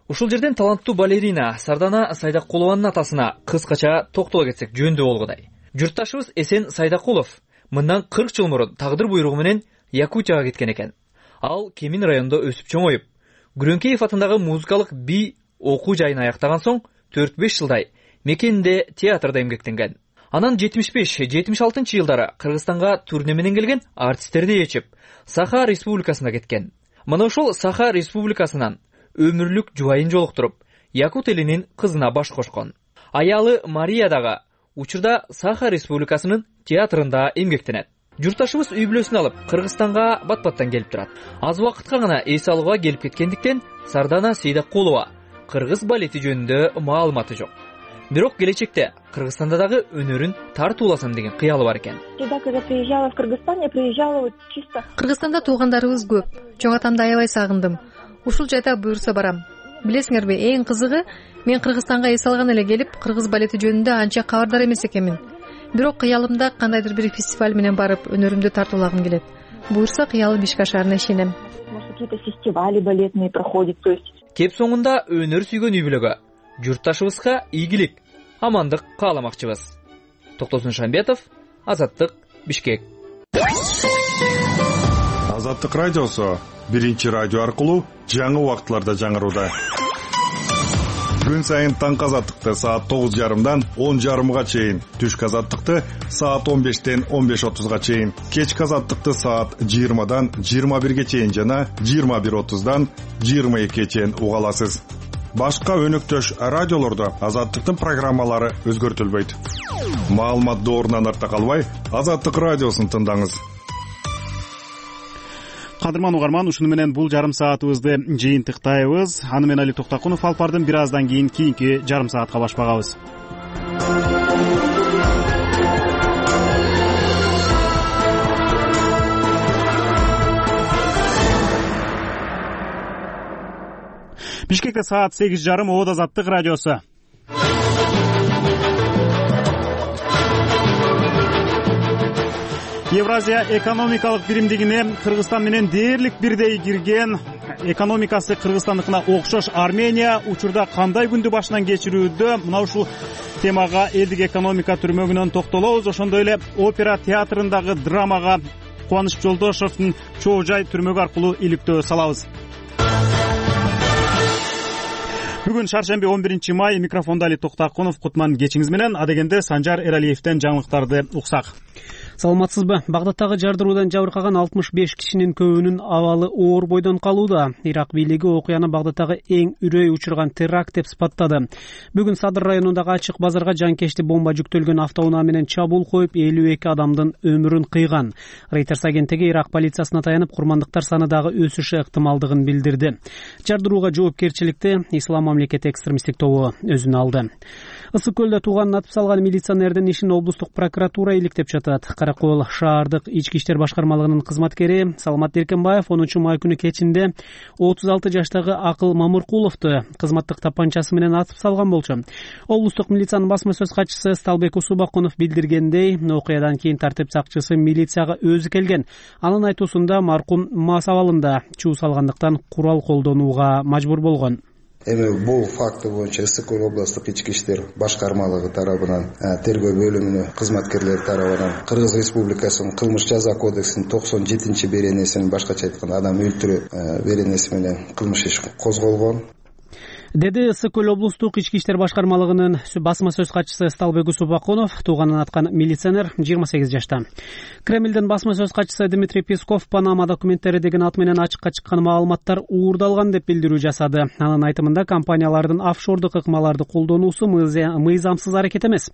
Ушул жерден таланттуу балерина Сардана Сайдакулованын атасына кыскача токтоло кетсек жөндүү болгудай. Журтташыбыз Эсен Сайдакулов мындан 40 жыл мурун тагдыр буйругу менен Якутияга кеткен экен. Ал Кемин районунда өсүп чоңоюп, Күрөңкеев атындагы музыкалык би окуу жайын аяктаган соң 4-5 жылдай мекенинде театрда эмгектенген. Анан 75-76 жылдары Кыргызстанга турне менен келген артисттерди ээрчип, Саха Республикасына кеткен. Мына ушул Саха Республикасынан өмүрлүк жубайын жолуктуруп, якут элинин кызына баш кошкон. Аялы Мария дагы учурда Саха Республикасынын театрында эмгектенет. Журтташыбыз үй бүлөсүн алып, Кыргызстанга бат-баттан келип турат. Аз убакытка гана эс алууга келип кеткендиктен Сардана Сайдакулова кыргыз балети жөнүндө маалыматы жок. Бирок келечекте Кыргызстанда дагы өнөрүн тартууласам деген кыялы бар экен.
Когда приезжала в Кыргызстан, я приезжала вот чисто.
Кыргызстанда туугандарыбыз көп. Чоң атамды аябай сагындым. Ушул жайда буйрса барам. Билесиңерби, эң кызыгы, мен Кыргызстанга эс алган эле келип, кыргыз балети жөнүндө анча кабардар эмес экенмин. Бирок кыялымда кандайдыр бир фестиваль менен барып өнөрүмдү тартуулагым келет. Буюрса, кыялы Бишкек ашарына ишенем.
Какие-то фестивали балетные проходят, то есть.
Кеп соңунда өнөр сүйгөн үй бүлөгө, журтташыбызга ийгилик, амандык кааламакчыбыз. Токтосун Шамбетов, Азаттык, Бишкек.
Азаттык радиосу биринчи радио аркылуу жаңы убакытларда жаңырууда. Күн сайын таңкы азаттыкты саат 9:30 10:30 чейин, түшкү азаттыкты саат 15-тен 15:30 чейин, кечки азаттыкты саат 20-дан 21 чейин жана 21:30-дан 22 чейин уга аласыз. Башка өнөктөш радиолордо азаттыктын программалары өзгөртүлбөйт. Маалымат доорунан артта калбай, Азаттык радиосун тыңдаңыз.
Кадырман угарман, ушуну менен бул жарым саатыбызды жыйынтыктайбыз. Аны мен Али Токтакунов алып бардым. Бир аздан кийинки жарым саатка башпагабыз. Бишкекте саат 8:30, Оот Азаттык радиосу. Евразия экономикалык биримдигине Кыргызстан менен дээрлик бирдей кирген экономикасы Кыргызстандыкына окшош Армения учурда кандай күндү башынан кечирүүдө? Мына ушул темага элдик экономика түрмөгүнөн токтолобуз. Ошондой эле опера театрындагы драмага Кубаныч Жолдошовдун Чоо жай түрмөгү аркылуу иликтөө салабыз. Бүгүн шаршемби 11 май, микрофондо Али Токтакунов. Кутман кечиңиз менен. Адегенде Санжар Эралиевден жаңылыктарды уксак.
Саламатсызбы? Багдадтагы жардыруудан жабыркаган 65 кишинин көбүнүн абалы оор бойдон калууда. Ирак бийлиги окуяны Багдадтагы эң үрөй учурган теракт деп сыпаттады. Бүгүн Садыр районундагы ачык базарга жанкечти бомба жүктөлгөн автоунаа менен чабуул коюп, 52 адамдын өмүрүн кыйган. Reuters агенттиги Ирак полициясына таянып, курмандыктар саны дагы өсүшү ыктымалдыгын билдирди. Жардырууга жоопкерчиликти Ислам мамлекети экстремисттик тобу өзүнө алды. Ысык көлдө тууганын атып салган милиционердин ишин облустук прокуратура иликтеп жатат. Каракол шаардык ички иштер башкармалыгынын кызматкери Саламат Эркенбаев 10 май күнү кечинде 36 жаштагы Акыл Мамыркуловду кызматтык тапанчасы менен атып салган болчу. Облустук милициянын басма сөз катчысы Сталбек Усубакунов билдиргендей, окуядан кийин тартип сакчысы милицияга өзү келген. Анын айтуусунда маркум мас абалында чуу салгандыктан курал колдонууга мажбур болгон.
Эми бул факты боюнча Ысык көл облустук ички иштер башкармалыгы тарабынан, тергөө бөлүмүнүн кызматкерлери тарабынан Кыргыз Республикасынын кылмыш жаза кодексинин 97-беренесинин, башкача айтканда адам өлтүрүү беренеси менен кылмыш иш козголгон,
деди Ысык көл облустук ички иштер башкармалыгынын басма сөз катчысы Сталбек Усубакунов. Тууганын аткан милиционер 28 жашта. Кремлдин басма сөз катчысы Дмитрий Песков Панама документтери деген ат менен ачыкка чыккан маалыматтар уурдалган деп билдирүү жасады. Анын айтымында компаниялардын офшордук ыкмаларды колдонуусу мыйзамсыз аракет эмес.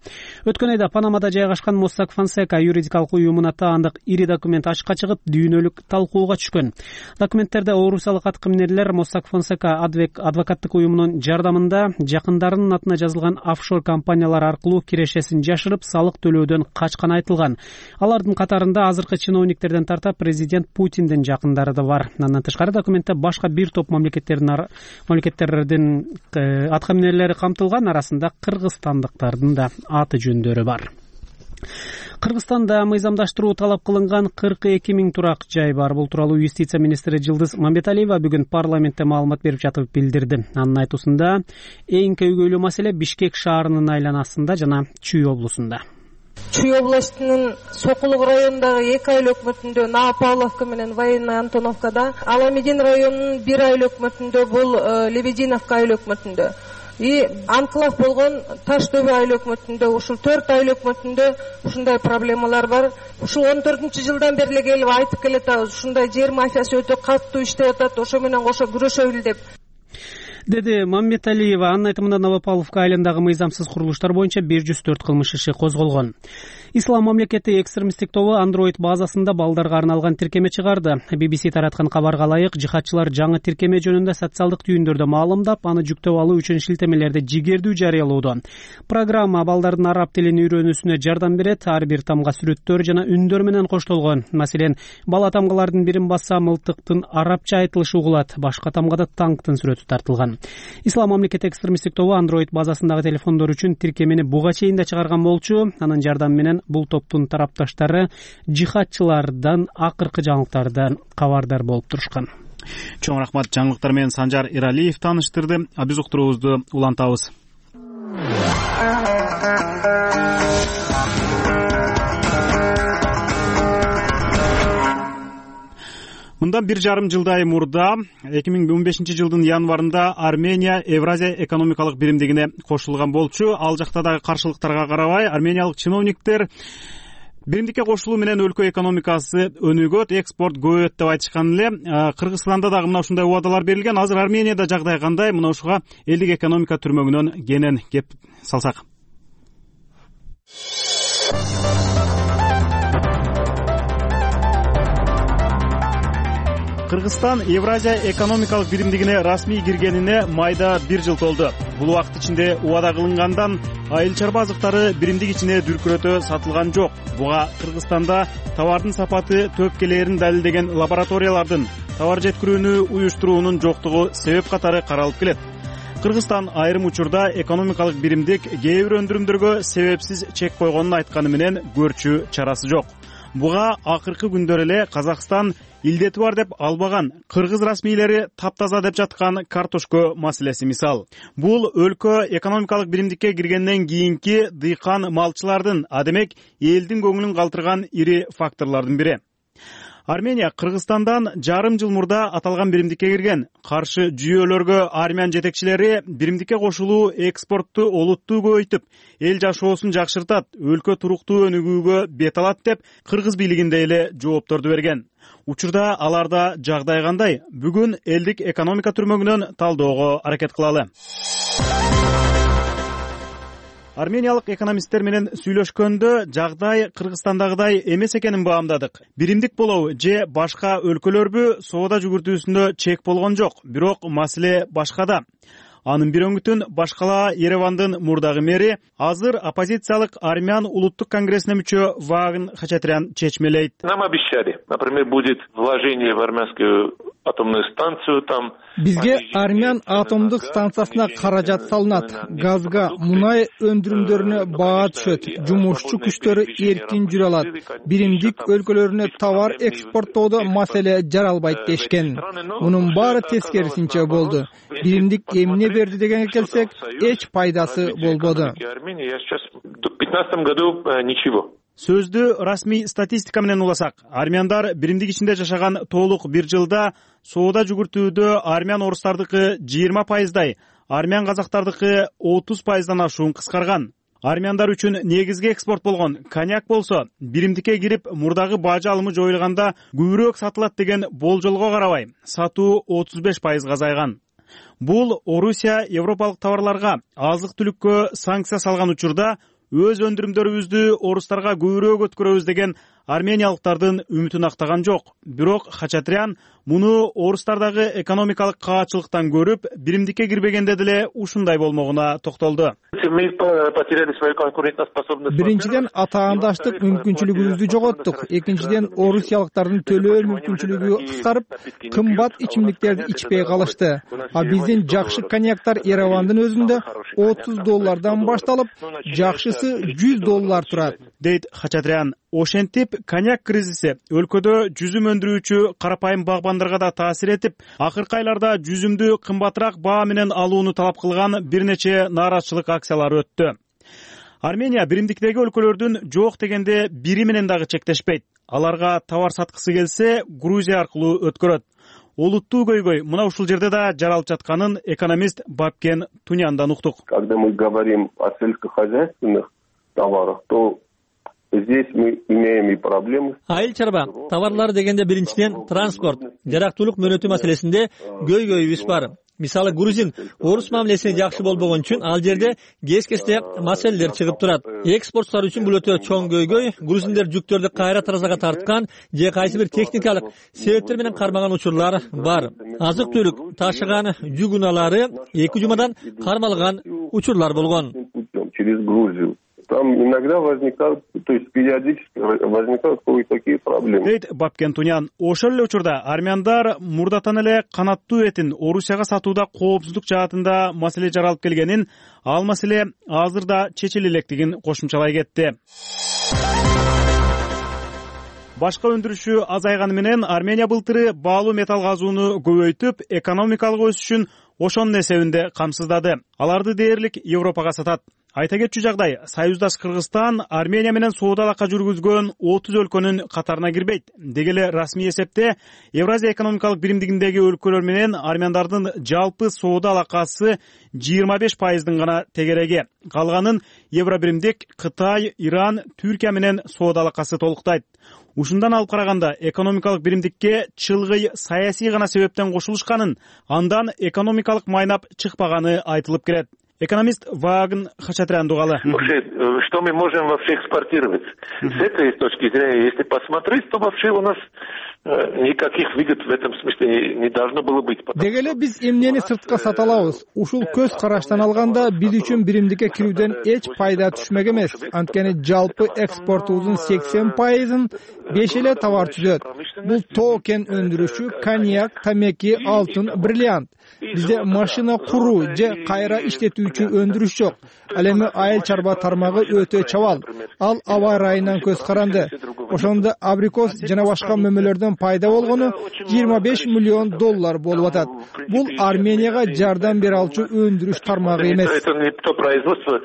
Өткөн айда Панамада жайгашкан Mossack Fonseca юридикалык уюмуна таандык ири документ ачыкка чыгып, дүйнөлүк талкууга түшкөн. Документтерде орусиялык аткаминерлер Mossack Fonseca адвокаттык уюмунун жардамында жакындарынын атына жазылган офшор компаниялар аркылуу кирешесин жашырып, салык төлөөдөн качканы айтылган. Алардын катарында азыркы чиновниктерден тарта президент Путиндин жакындары да бар. Андан тышкары документте башка бир топ мамлекеттердин аткаминерлери камтылган, арасында кыргызстандыктардын да аты жөндөрү бар. Кыргызстанда мыйзамдаштыруу талап кылынган 42 000 турак жай бар. Бул тууралуу юстиция министри Жылдыз Мамбеталиева бүгүн парламентте маалымат берип жатып билдирди. Анын айтуусунда эң көйгөйлүү маселе Бишкек шаарынын айланасында жана Чүй облусунда.
Чүй областынын Сокулук районундагы 2 айлуу өкмөтүндө Новопавловка менен Военная Антоновкада, Аламедин районунун 1 айлуу өкмөтүндө бул Лебединовка айлуу өкмөтүндө, анклав болгон Таш дөбө айлуу өкмөтүндө, ушул 4 айлуу өкмөтүндө ушундай проблемалар бар. Ушул 14-жылдан бери келип айтып келатабыз, ушундай жер мафиясы өтө катуу иштеп атат, ошо менен кошо күрөшөлү деп,
деди Мамбеталиева. Анын айтымында Новопавловка айылындагы мыйзамсыз курулуштар боюнча 104 кылмыш иши козголгон. Ислам мамлекети экстремисттик тобу Android базасында балдарга арналган тиркеме чыгарды. BBC тараткан кабарга ылайык, жихадчылар жаңы тиркеме жөнүндө социалдык түйүндөрдө маалымдап, аны жүктөп алуу үчүн шилтемелерди жигердүү жарыялоодо. Программа балдардын араб тилин үйрөнүүсүнө жардам берет. Ар бир тамга сүрөттөр жана үндөр менен коштолгон. Маселен, бала тамгалардын бирин басса мылтыктын арабча айтылышы угулат, башка тамгада танктын сүрөтү тартылган. Ислам мамлекети экстремисттик тобу Android базасындагы телефондор үчүн тиркемени буга чейин да чыгарган болчу. Анын жардамы менен бул топтун тарапташтары жихадчылардан акыркы жаңылыктардан кабардар болуп турушкан.
Чоң рахмат. Жаңылыктар менен Санжар Иралиев тааныштырды. Биз уктуруубузду улантабыз. Мындан 1,5 жылдай мурда 2015 жылдын январында Армения Евразия экономикалык биримдигине кошулган болчу. Ал жакта дагы каршылыктарга карабай, армениялык чиновниктер биримдикке кошулуу менен өлкө экономикасы өнүгөт, экспорт көбөйөт деп айтышкан эле. Кыргызстанда дагы мына ушундай убадалар берилген. Азыр Арменияда жагдай кандай? Мына ушуга элдик экономика түрмөгүнөн кенен кеп салсак. Кыргызстан Евразия экономикалык биримдигине расмий киргенине майда 1 жыл толду. Бул убакыт ичинде убада кылынгандан айыл чарба азыктары биримдик ичине дүркүрөтө сатылган жок. Буга Кыргызстанда товардын сапаты төпкелерин далилдеген лабораториялардын товар жеткирүүнү уюштуруунун жоктугу себеп катары каралып келет. Кыргызстан айрым учурда экономикалык биримдик кээ бир өндүрүмдөргө себепсиз чек койгонун айтканы менен көрчү чарасы жок. Буга акыркы күндөр эле Казакстан илдети бар деп албаган, кыргыз расмийлери таптаза деп жаткан картошка маселеси мисал. Бул өлкө экономикалык биримдикке киргенден кийинки дыйкан малчылардын, адемек элдин көңүлүн калтырган ири факторлордун бири. Армения Кыргызстандан жарым жыл мурда аталган биримдикке кирген. Каршы жүйөлөргө армян жетекчилери биримдикке кошулуу экспортту олуттуу көбөйтүп, эл жашоосун жакшыртат, өлкө туруктуу өнүгүүгө бет алат деп кыргыз бийлигинде эле жоопторду берген. Учурда аларда жагдай кандай? Бүгүн элдик экономика түрмөгүнөн талдоого аракет кылалы. Армениялык экономисттер менен сүйлөшкөндө жагдай Кыргызстандагыдай эмес экенин баамдадык. Биримдик болобу же башка өлкөлөрбү соода жүгүртүүсүндө чек болгон жок, бирок маселе башкада. Анын бир өңүтүн башкала Еревандын мурдагы мэри азыр оппозициялык армян улуттук конгрессине мүчө Вагын Хачатрян чечмелейт.
Нам обещали, например, будет вложение в армянскую атомную станцию там.
Бизге армян атомдук станциясына каражат салынат. Газга, мунай өндүрүмдөрүнө баа түшөт. Жумушчу күчтөрү эркин жүрө алат. Биримдик өлкөлөрүнө товар экспорттоодо маселе жаралбайт дешкен. Мунун баары тескерисинче болду. Биримдик эмне берди дегенге келсек, эч пайдасы болбоду.
В 2015 году ничего.
Сөздү расмий статистика менен уласак, армяндар биримдик ичинде жашаган толук 1 жылда соода жүгүртүүдө армян орустардыкы 20%, армян казактардыкы 30%дан ашуун кыскарган. Армяндар үчүн негизги экспорт болгон коньяк болсо, биримдикке кирип мурдагы бажы алымы жоюлганда көбүрөөк сатылат деген болжолго карабай, сатуу 35% азайган. Бул Орусия европалык товарларга, азык-түлүккө санкция салган учурда өз өндүрүмдөрүбүздү орустарга көбүрөөк өткөрөбүз деген армениялыктардын үмүтүн актаган жок. Бирок Хачатрян муну орустардагы экономикалык каачылыктан көрүп, биримдикке кирбегенде деле ушундай болмогуна токтолду.
Биринчиден атаандаштык мүмкүнчүлүгүбүздү жоготтук. Экинчиден орусиялыктардын төлөө мүмкүнчүлүгү кыскарып, кымбат ичимдиктерди ичпей калышты. А биздин жакшы коньяктар Еревандын өзүндө $30 башталып, жакшысы $100 турат,
дейт Хачатрян. Ошентип, коньяк кризиси өлкөдө жүзүм өндүрүүчү карапайым багбандарга да таасир этип, акыркы айларда жүзүмдү кымбатыраак баа менен алууну талап кылган бир нече нааразычылык акциялары өттү. Армения биримдиктеги өлкөлөрдүн жок дегенде бири менен дагы чектешпейт. Аларга товар саткысы келсе, Грузия аркылуу өткөрөт. Олуттуу көйгөй мына ушул жерде да жаралып жатканын экономист Бабкен Туняндан уктук.
Когда мы говорим о сельскохозяйственных товарах, то
Здесь мы имеем и проблемы.
Айыл чарба товарлары дегенде биринчиден транспорт, жарактуулук мөөнөтү маселесинде көйгөйүбүз бар. Мисалы грузин орус мамилесине жакшы болбогон үчүн ал жерде кез-кезде маселелер чыгып турат. Экспортчулар үчүн бул өтө чоң көйгөй. Грузиндер жүктөрдү кайра таразага тарткан же кайсы бир техникалык себептер менен кармаган учурлар бар. Азык-түлүк ташыган жүк унаалары 2 жумадан кармалган учурлар болгон.
Через Грузию. Там иногда возникают, то есть периодически возникают кое-какие проблемы.
Дейт Бапкен Тунян. Ошол эле учурда армяндар мурдатан эле канаттуу этин Орусияга сатууда коопсуздук жаатында маселе жаралып келгенин, ал маселе азыр да чечиле электигин кошумчалай кетти. Башка өндүрүшү азайганы менен Армения былтыры баалуу металл казууну көбөйтүп, экономикалык өсүшүн ошонун эсебинде камсыздады. Аларды дээрлик Европага сатат. Айта кетчү жагдай, союздаш Кыргызстан Армения менен соода алака жүргүзгөн 30 өлкөнүн катарына кирбейт. Деги эле расмий эсепте Евразия экономикалык биримдигиндеги өлкөлөр менен армяндардын жалпы соода алакасы 25%дын гана тегереги. Калганын Евробиримдик Кытай, Иран, Түркия менен соода алакасы толуктайт. Ушундан алып караганда экономикалык биримдикке чылгый саясий гана себептен кошулушканын, андан экономикалык майнап чыкпаганы айтылып келет. Экономист Вагн Хачатрян дугалы.
Что мы можем вообще экспортировать? С этой точки зрения, если посмотреть, то вообще у нас никаких выгод в этом смысле не должно было быть.
Деги эле биз эмнени сыртка сата алабыз? Ушул көз караштан алганда биз үчүн биримдикке кирүүдөн эч пайда түшмөк эмес. Анткени жалпы экспортубуздун 80%-ын 5 эле товар түзөт. Бул тоо кен өндүрүшү, коньяк, тамеки, алтын, бриллиант. Бизде машина куруу же кайра иштетүүчү өндүрүш жок. Ал эми айыл чарба тармагы өтө чабал. Ал аба ырайынан көз каранды. Ошондо абрикос жана башка мөмөлөрдөн пайда болгону $25 миллион болуп атат. Бул Арменияга жардам бере алчу өндүрүш тармагы эмес.
Это не то производство,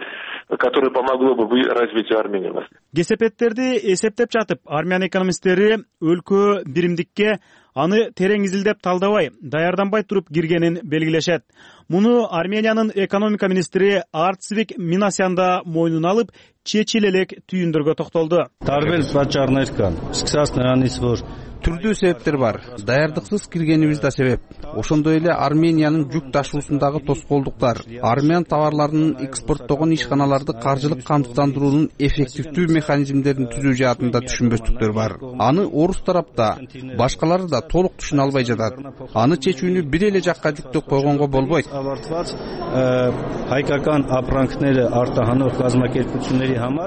которое помогло бы развитию Армении.
Кесепеттерди эсептеп жатып, армян экономисттери өлкө биримдикке аны терең изилдеп талдабай, даярданбай туруп киргенин белгилешет. Муну Армениянын экономика министри Арцвик Минасян да мойнуна алып, чечиле элек түйүндөргө токтолду.
Түрдүү себептер бар. Даярдыксыз киргенибиз да себеп. Ошондой эле Армениянын жүк ташуусундагы тоскоолдуктар, армян товарларынын экспорттогон ишканаларды каржылык камсыздандыруунун эффективдүү механизмдерин түзүү жаатында түшүнбөстүктөр бар. Аны орус тарапта, башкалары да толук түшүнө албай жатат. Аны чечүүнү бир эле жакка диктеп койгонго болбойт.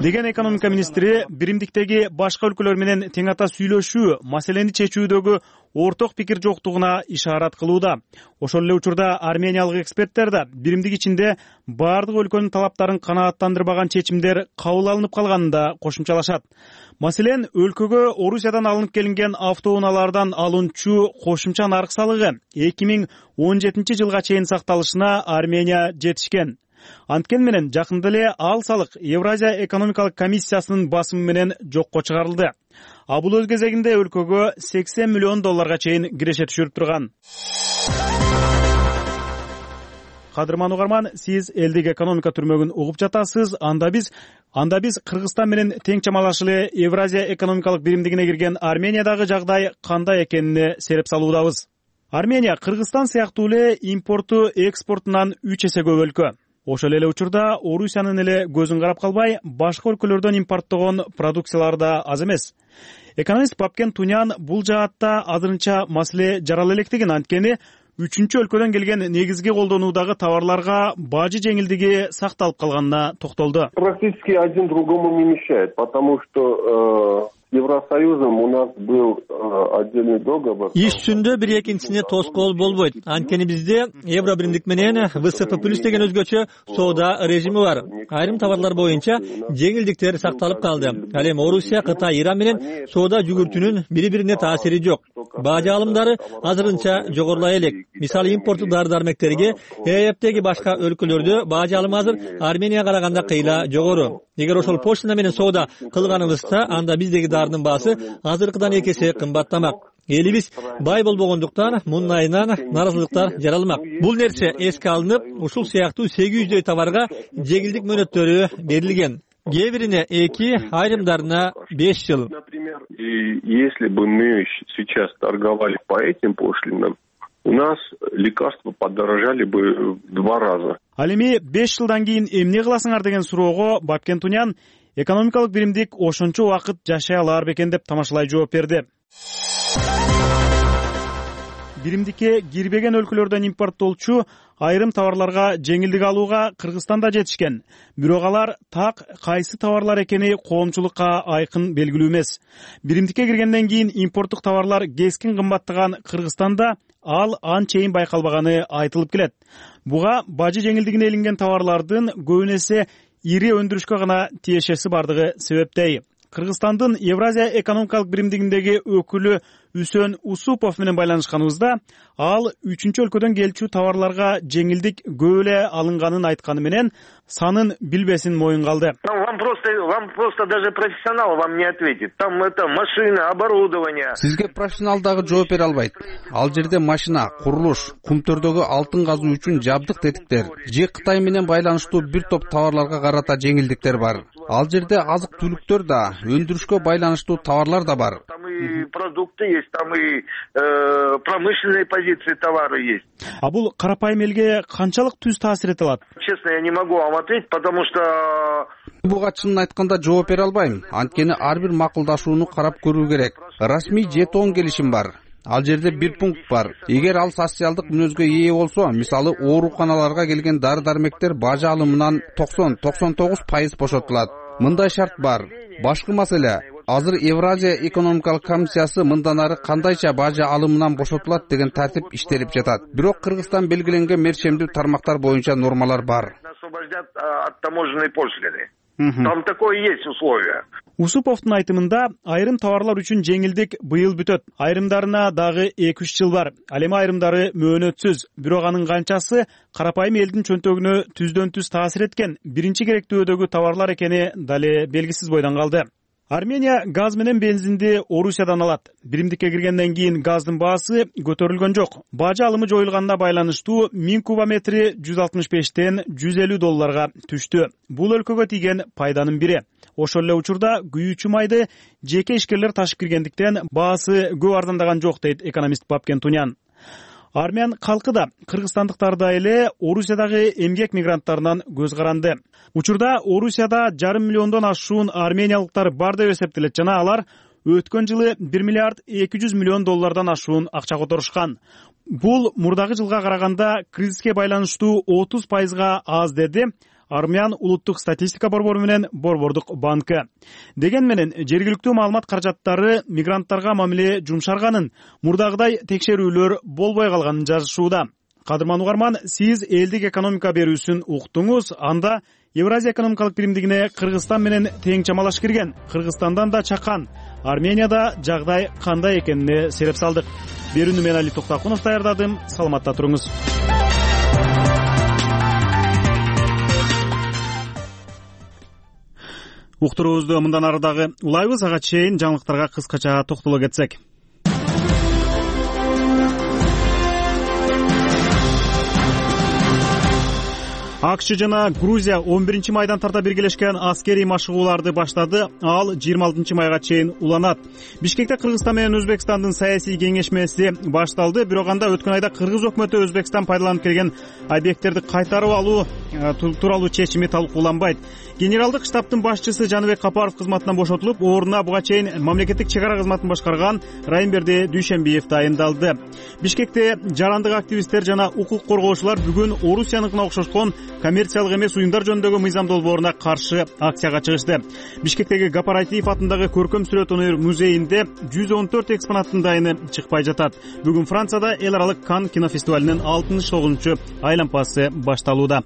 Деген экономика министри биримдиктеги башка өлкөлөр менен тең ата сүйлөшүү маселени чечүүдөгү орток пикир жоктугуна ишарат кылууда. Ошол эле учурда армениялык эксперттер да биримдик ичинде бардык өлкөнүн талаптарын канааттандырбаган чечимдер кабыл алынып калганын да кошумчалашат. Маселен, өлкөгө Орусиядан алынып келинген автоунаалардан алынчу кошумча нарк салыгы 2017 жылга чейин сакталышына Армения жетишкен. Анткени менен жакында эле ал салык Евразия экономикалык комиссиясынын басымы менен жокко чыгарылды. А бул өз кезегинде өлкөгө $80 миллион чейин киреше түшүрүп турган. Кадырман угарман, сиз элдик экономика түрмөгүн угуп жатасыз. Анда биз Кыргызстан менен тең чамалаш эле Евразия экономикалык биримдигине кирген Армениядагы жагдай кандай экенине сереп салуудабыз. Армения Кыргызстан сыяктуу эле импорту экспортунан 3 эсе көп өлкө. Ошол эле учурда Орусиянын эле көзүн карап калбай, башка өлкөлөрдөн импорттогон продукциялар да аз эмес. Экономист Бапкен Тунян бул жаатта азырынча маселе жарала электигин, анткени үчүнчү өлкөдөн келген негизги колдонуудагы товарларга бажы жеңилдиги сакталып калганына токтолду.
Практически один другому не мешает, потому что Евросоюзом у нас был отдельный договор.
Иш жүзүндө бир экинчисине тоскоол болбойт. Анткени бизде Евробиримдик менен ВСП+ деген өзгөчө соода режими бар. Айрым товарлар боюнча жеңилдиктер сакталып калды. Ал эми Орусия, Кытай, Иран менен соода жүгүртүүнүн бири-бирине таасири жок. Бажы алымдары азырынча жогорулай элек. Мисалы импорттук дары-дармектерге ЕЭПтеги башка өлкөлөрдө бажы алымы азыр Арменияга караганда кыйла жогору. Эгер ошол почта менен соода кылганыбызда, анда биздеги дарынын баасы азыркыдан 2 эсе кымбаттамак. Элибиз бай болбогондуктан мундайынан наразылыктар жаралмак. Бул нерсе эске алынып, ушул сыяктуу 800 товарга жеңилдик мөөнөттөрү берилген. кээ бирине 2, айрымдарына 5 жыл.
Например, если бы мы сейчас торговали по этим пошлинам, у нас лекарства подорожали бы в 2 раза.
Ал эми 5 жылдан кийин эмне кыласыңар деген суроого Бапкен Тунян экономикалык биримдик ошончо убакыт жашай алар бекен деп тамашалай жооп берди. Биримдикке кирбеген өлкөлөрдөн импорттолчу айрым товарларга жеңилдик алууга Кыргызстанда жетишкен. Бирок алар так кайсы товарлар экени коомчулукка айкын белгилүү эмес. Биримдикке киргенден кийин импорттук товарлар кескин кымбаттаган Кыргызстанда ал анчейин байкалбаганы айтылып келет. Буга бажы жеңилдигине илинген товарлардын көбүн эсе ири өндүрүшкө гана тиешеси бардыгы себептей. Кыргызстандын Евразия экономикалык биримдигиндеги өкүлү Үсөн Усупов менен байланышканыбызда ал 3-чү өлкөдөн келчү товарларга жеңилдик көп эле алынганын айтканы менен санын билбесин моюнга алды.
Вам просто даже профессионал вам не ответит. Там это машина, оборудование.
Сизге профессионал дагы жооп бере албайт. Ал жерде машина, курулуш, кумтөрдөгү алтын казуу үчүн жабдык тетиктер же Кытай менен байланыштуу бир топ товарларга карата жеңилдиктер бар. Ал жерде азык түлүктөр да, өндүрүшкө байланыштуу товарлар да бар.
Там и продукты есть, там и промышленные позиции товара есть.
А бул карапайым элге канчалык түз таасир эте алат?
Честно, я не могу вам ответить, потому что
буга чынын айтканда жооп бере албайм. Анткени ар бир макулдашууну карап көрүү керек. Расмий жетон келишим бар. Ал жерде бир пункт бар. Эгер ал социалдык мүнөзгө ээ болсо, мисалы ооруканаларга келген дары-дармектер бажы алымынан 90-99% бошотулат. Мындай шарт бар. Башкы маселе, азыр Евразия экономикалык комиссиясы мындан ары кандайча бажы алымынан бошотулат деген тартип иштелип жатат. Бирок Кыргызстан белгиленген мерчемдүү тармактар боюнча нормалар бар.
Освобождят от таможенной пошлины. Там такое есть условие.
Усуповдун айтымында айрым товарлар үчүн жеңилдик быйыл бүтөт. Айрымдарына дагы 2-3 жыл бар. Ал эми айрымдары мөөнөтсүз. Бирок анын канчасы карапайым элдин чөнтөгүнө түздөн түз таасир эткен биринчи керектүүдөгү товарлар экени дале белгисиз бойдон калды. Армения газ менен бензинди Орусиядан алат. Биримдикке киргенден кийин газдын баасы көтөрүлгөн жок. Бажы алымы жоюлганына байланыштуу 1000 кубометри $165тен $150 түштү. Бул өлкөгө тийген пайданын бири. Ошол эле учурда күйүүчү майды жеке ишкерлер ташып киргендиктен баасы көп арзандаган жок дейт экономист Бапкен Тунян. Армян калкы да кыргызстандыктардай эле Орусиядагы эмгек мигранттарынан көз каранды. Учурда Орусияда 5,5 миллиондон ашуун армениялыктар бар деп эсептелет жана алар өткөн жылы $1 миллиард 200 миллион ашуун акча которушкан. Бул мурдагы жылга караганда кризиске байланыштуу 30%га аз деди Армян улуттук статистика борбору менен Борбордук банкы. Деген менен жергиликтүү маалымат каражаттары мигранттарга мамиле жумшарганын, мурдагыдай текшерүүлөр болбой калганын жазышууда. Кадырман угарман, сиз элдик экономика берүүсүн уктуңуз. Анда Евразия экономикалык биримдигине Кыргызстан менен тең чамалаш кирген, Кыргызстандан да чакан, Арменияда жагдай кандай экенине сереп салдык. Берүүнү мен Али Токтакунов даярдадым. Саламатта туруңуз. Уктуруубузду мындан ары дагы улайбыз. Ага чейин жаңылыктарга кыскача токтоло кетсек. АКШ жана Грузия 11-майдан тарта биргелешкен аскерий машыгууларды баштады. Ал 26-майга чейин уланат. Бишкекте Кыргызстан менен Өзбекстандын саясий кеңешмеси башталды. Бирок анда өткөн айда Кыргыз өкмөтү Өзбекстан пайдаланып келген объекттерди кайтарып алуу тууралуу чечими талкууланбайт. Генералдык штабтын башчысы Жаныбек Капаров кызматынан бошотулуп, ордуна буга чейин мамлекеттик чек ара кызматын башкарган Райымберди Дүйшенбиев дайындалды. Бишкекте жарандык активисттер жана укук коргоочулар бүгүн Орусияныкына окшошкон коммерциялык эмес уюмдар жөнүндөгү мыйзам долбооруна каршы акцияга чыгышты. Бишкектеги Гапаратиев атындагы көркөм сүрөт өнөр музейинде 114 экспонаттын дайыны чыкпай жатат. Бүгүн Францияда эл аралык Кан кинофестивалинин 69-чу айлампасы башталууда.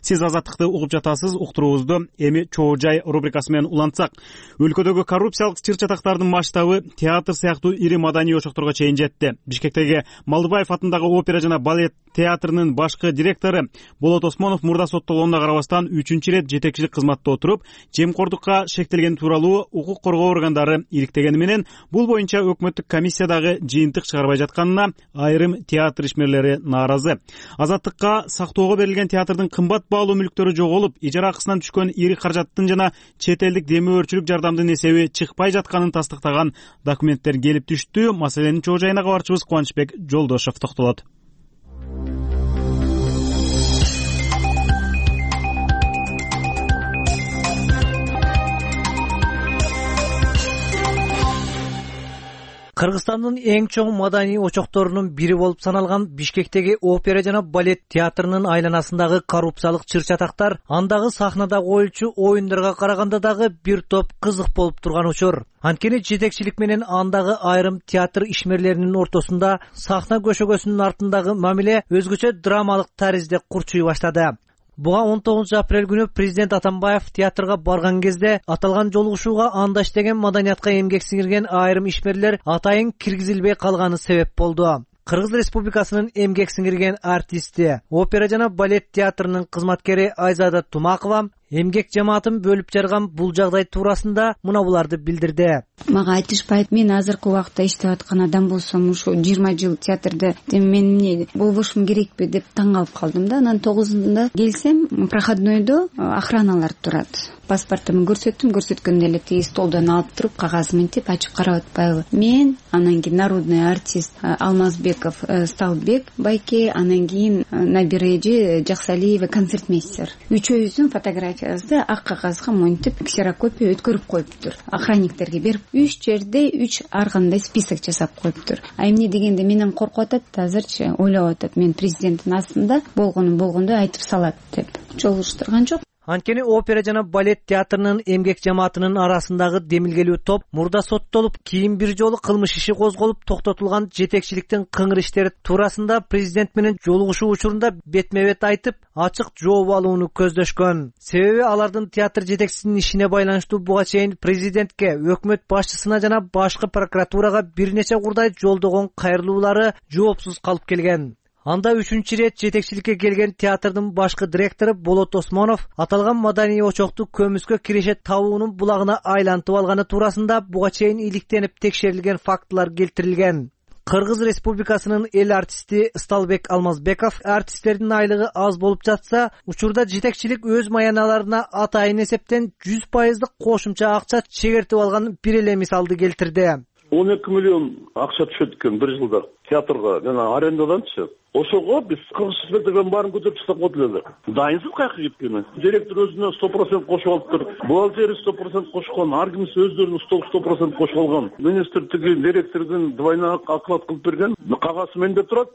Сиз азаттыкты угуп жатасыз. Уктуруубузду эми чоо жай рубрикасы менен улантсак. Өлкөдөгү коррупциялык чыр-чатактардын масштабы театр сыяктуу ири маданий очокторго чейин жетти. Бишкектеги Малдыбаев атындагы опера жана балет театрынын башкы директору Болот Осмонов мурда соттолгонуна карабастан 3-чү ирет жетекчилик кызматта отуруп, жемкордукка шектелген тууралуу укук коргоо органдары иликтегени менен бул боюнча өкмөттүк комиссиядагы жыйынтык чыгарбай жатканына айрым театр ишмерлери нааразы. Азаттыкка сактоого берилген театрдын кымбат баалуу мүлктөрү жоголуп, ижара акысынан түшкөн ири каражаттын жана чет элдик демөөрчүлүк жардамдын эсеби чыкпай жатканын тастыктаган документтер келип түштү. Маселенин чоо жайына кабарчыбыз Кубанычбек Жолдошов токтолот.
Кыргызстандын эң чоң маданий очокторунун бири болуп саналган Бишкектеги опера жана балет театрынын айланасындагы коррупциялык чыр-чатактар андагы сахнада коюлчу оюндарга караганда дагы бир топ кызык болуп турган учур. Анткени жетекчилик менен андагы айрым театр ишмерлеринин ортосунда сахна көшөгөсүнүн артындагы мамиле өзгөчө драмалык таризде курчуй баштады. Буга 19 апрель күнү президент Атамбаев театрга барган кезде аталган жолугушууга анда иштеген маданиятка эмгек сиңирген айрым ишмерлер атайын киргизилбей калганы себеп болду. Кыргыз Республикасынын эмгек сиңирген артисти, опера жана балет театрынын кызматкери Айзада Тумакова эмгек жамаатын бөлүп жарган бул жагдай туурасында мына буларды билдирди.
Мага айтышпайт, мен азыркы убакта иштеп аткан адам болсом, ушу 20 жыл театрда мен эмне болбошум керекпи деп таң калып калдым да. Анан 9-ында келсем, проходнойдо охраналар турат. Паспортумду көрсөткөндө эле тиги столдон алып туруп, кагаз мынтип ачып карап атпайбы. Мен, анан кийин народный артист Алмазбеков Сталбек байке, анан кийин Набиреже Жаксалиева концертмейстер. Үчөөбүздүн фотографиябызды ак кагазга монтип ксерокопия өткөрүп коюптур. Охранниктерге берип, 3 жерде 3 ар кандай список жасап коюптур. А эмне дегенде менен коркуп атат, азырчы ойлоп атат, мен президенттин астында болгондой айтып салат деп. Жолугуштурган жок.
Анткени опера жана балет театрынын эмгек жамаатынын арасындагы демилгелүү топ мурда соттолуп, кийин бир жолу кылмыш иши козголуп токтотулган жетекчиликтин кыңыр иштери туурасында президент менен жолугушуу учурунда бетме-бет айтып, ачык жооп алууну көздөшкөн. Себеби алардын театр жетекчисинин ишине байланыштуу буга чейин президентке, өкмөт башчысына жана башкы прокуратурага бир нече курдай жолдогон кайрылуулары жоопсуз калып келген. Анда 3-чү рет жетекчиликке келген театрдын башкы директору Болот Осмонов аталган маданий очокту көмүскө киреше табуунун булагына айлантып алганы туурасында буга чейин иликтенип текшерилген фактылар келтирилген. Кыргыз Республикасынын эл артисти Сталбек Алмазбеков артисттердин айлыгы аз болуп жатса, учурда жетекчилик өз маяналарына атайын эсептен 100% кошумча акча чегертип алган бир эле мисалды келтирди.
12 миллион акча түшөт экен бир жылда театрга жана арендаданчы. Ошого биз кыргызчылыктын баарын көтөрүп тастап койдук эле. Дайынсыз каяка кеткени. Директор өзүнө 100% кошуп алыптыр. Бухгалтери 100% кошкон, ар кимиси өздөрүнүн 100% кошуп алган. Министр тиги директордун двойной оклад кылып берген. Кагаз менде турат.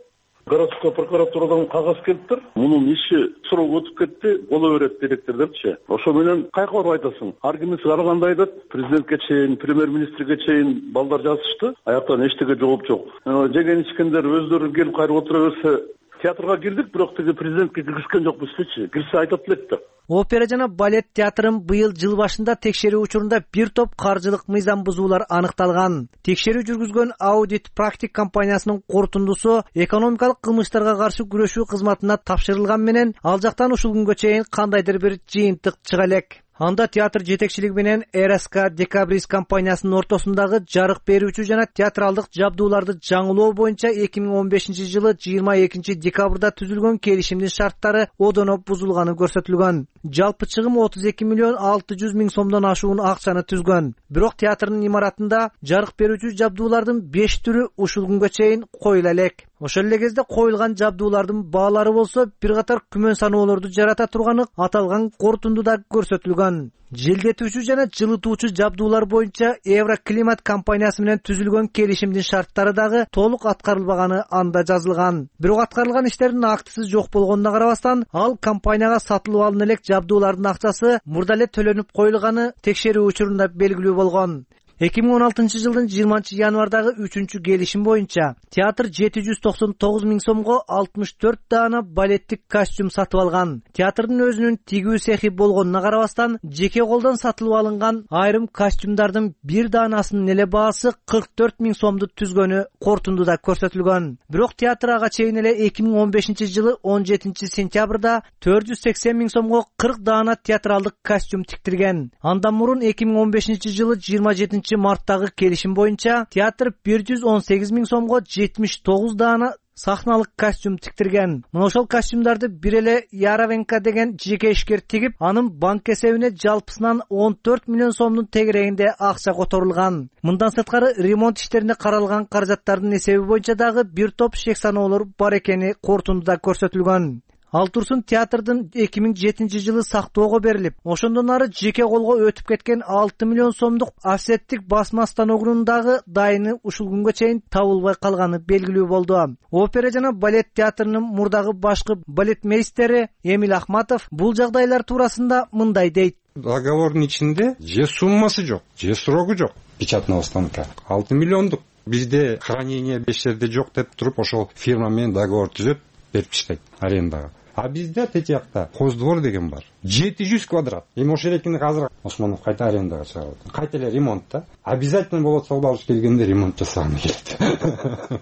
Городской прокуратурадан кагаз келиптир. Мунун иши срок өтүп кетти, боло берет директор депчи. Ошо менен кайка барып айтасың? Ар кимиси ар кандай айтат. Президентке чейин, премьер-министрге чейин балдар жазышты. Аяктан эчтеке жооп жок. Жеген ичкендер өздөрү келип кайрып отура берсе, театрга кирдик, бирок тиги президентке киргизген жокпузчу. Кирсе айтат элек да.
Опера жана балет театрын быйыл жыл башында текшерүү учурунда бир топ каржылык мыйзам бузуулар аныкталган. Текшерүү жүргүзгөн Audit Practic компаниясынын корутундусу экономикалык кылмыштарга каршы күрөшүү кызматына тапшырылган менен ал жактан ушул күнгө чейин кандайдыр бир жыйынтык чыга элек. Анда театр жетекчилиги менен РСК Декабрист компаниясынын ортосундагы жарык берүүчү жана театралдык жабдууларды жаңылоо боюнча 2015-жылы 22 декабрда түзүлгөн келишимдин шарттары одоно бузулганы көрсөтүлгөн. Жалпы чыгым 32 миллион 600 миң сомдон ашуун акчаны түзгөн. Бирок театрдын имаратында жарык берүүчү жабдуулардын 5 түрү ушул күнгө чейин коюла элек. Ошол эле кезде коюлган жабдуулардын баалары болсо бир катар күмөн саноолорду жарата турганы аталган корутундуда көрсөтүлгөн. Желдетүүчү жана жылытуучу жабдуулар боюнча Евроклимат компаниясы менен түзүлгөн келишимдин шарттары дагы толук аткарылбаганы анда жазылган. Бирок аткарылган иштердин актысы жок болгонуна карабастан, ал компанияга сатылып алына элек жабдуулардын акчасы мурда эле төлөнүп коюлганы текшерүү учурунда белгилүү болгон. 2016-жылдын 20 январдагы 3-чү келишим боюнча театр 799 миң сомго 64 даана балеттик костюм сатып алган. Театрдын өзүнүн тигүү цехи болгонуна карабастан, жеке колдон сатылып алынган айрым костюмдардын бир даанасынын эле баасы 44 миң сомду түзгөнү корутундуда көрсөтүлгөн. Бирок театр ага чейин эле 2015-жылы 17 сентябрда 480 миң сомго 40 даана театралдык костюм тиктирген. Андан мурун 2015-жылы 27 марттагы келишим боюнча театр 118 миң сомго 79 даана сахналык костюм тиктирген. Мына ошол костюмдарды бир эле Яровенко деген жеке ишкер тигип, анын банк эсебине жалпысынан 14 миллион сомдун тегерегинде акча которулган. Мындан сырткары ремонт иштерине каралган каражаттардын эсеби боюнча дагы бир топ шек саноолор бар экени корутундуда көрсөтүлгөн. Ал турсун театрдын 2007 жылы сактоого берилип, ошондон ары жеке колго өтүп кеткен 6 миллион сомдук офсеттик басма станогунун дагы дайыны ушул күнгө чейин табылбай калганы белгилүү болду. Опера жана балет театрынын мурдагы башкы балетмейстери Эмиль Ахматов бул жагдайлар туурасында мындай дейт.
Договордун ичинде же суммасы жок, же срогу жок. Печатного станка 6 миллиондук. Бизде хранение 5 жерде жок деп туруп ошол фирма менен договор түзөп берип чыкпайт арендага. А бизде тети жакта Хоздвор деген бар. 700 квадрат. Эми ошол экини азыр Осмонов кайта арендага чыгарат. Кайта эле ремонт да. Обязательно болот Согбалыш келгенде ремонт жасаганы келет.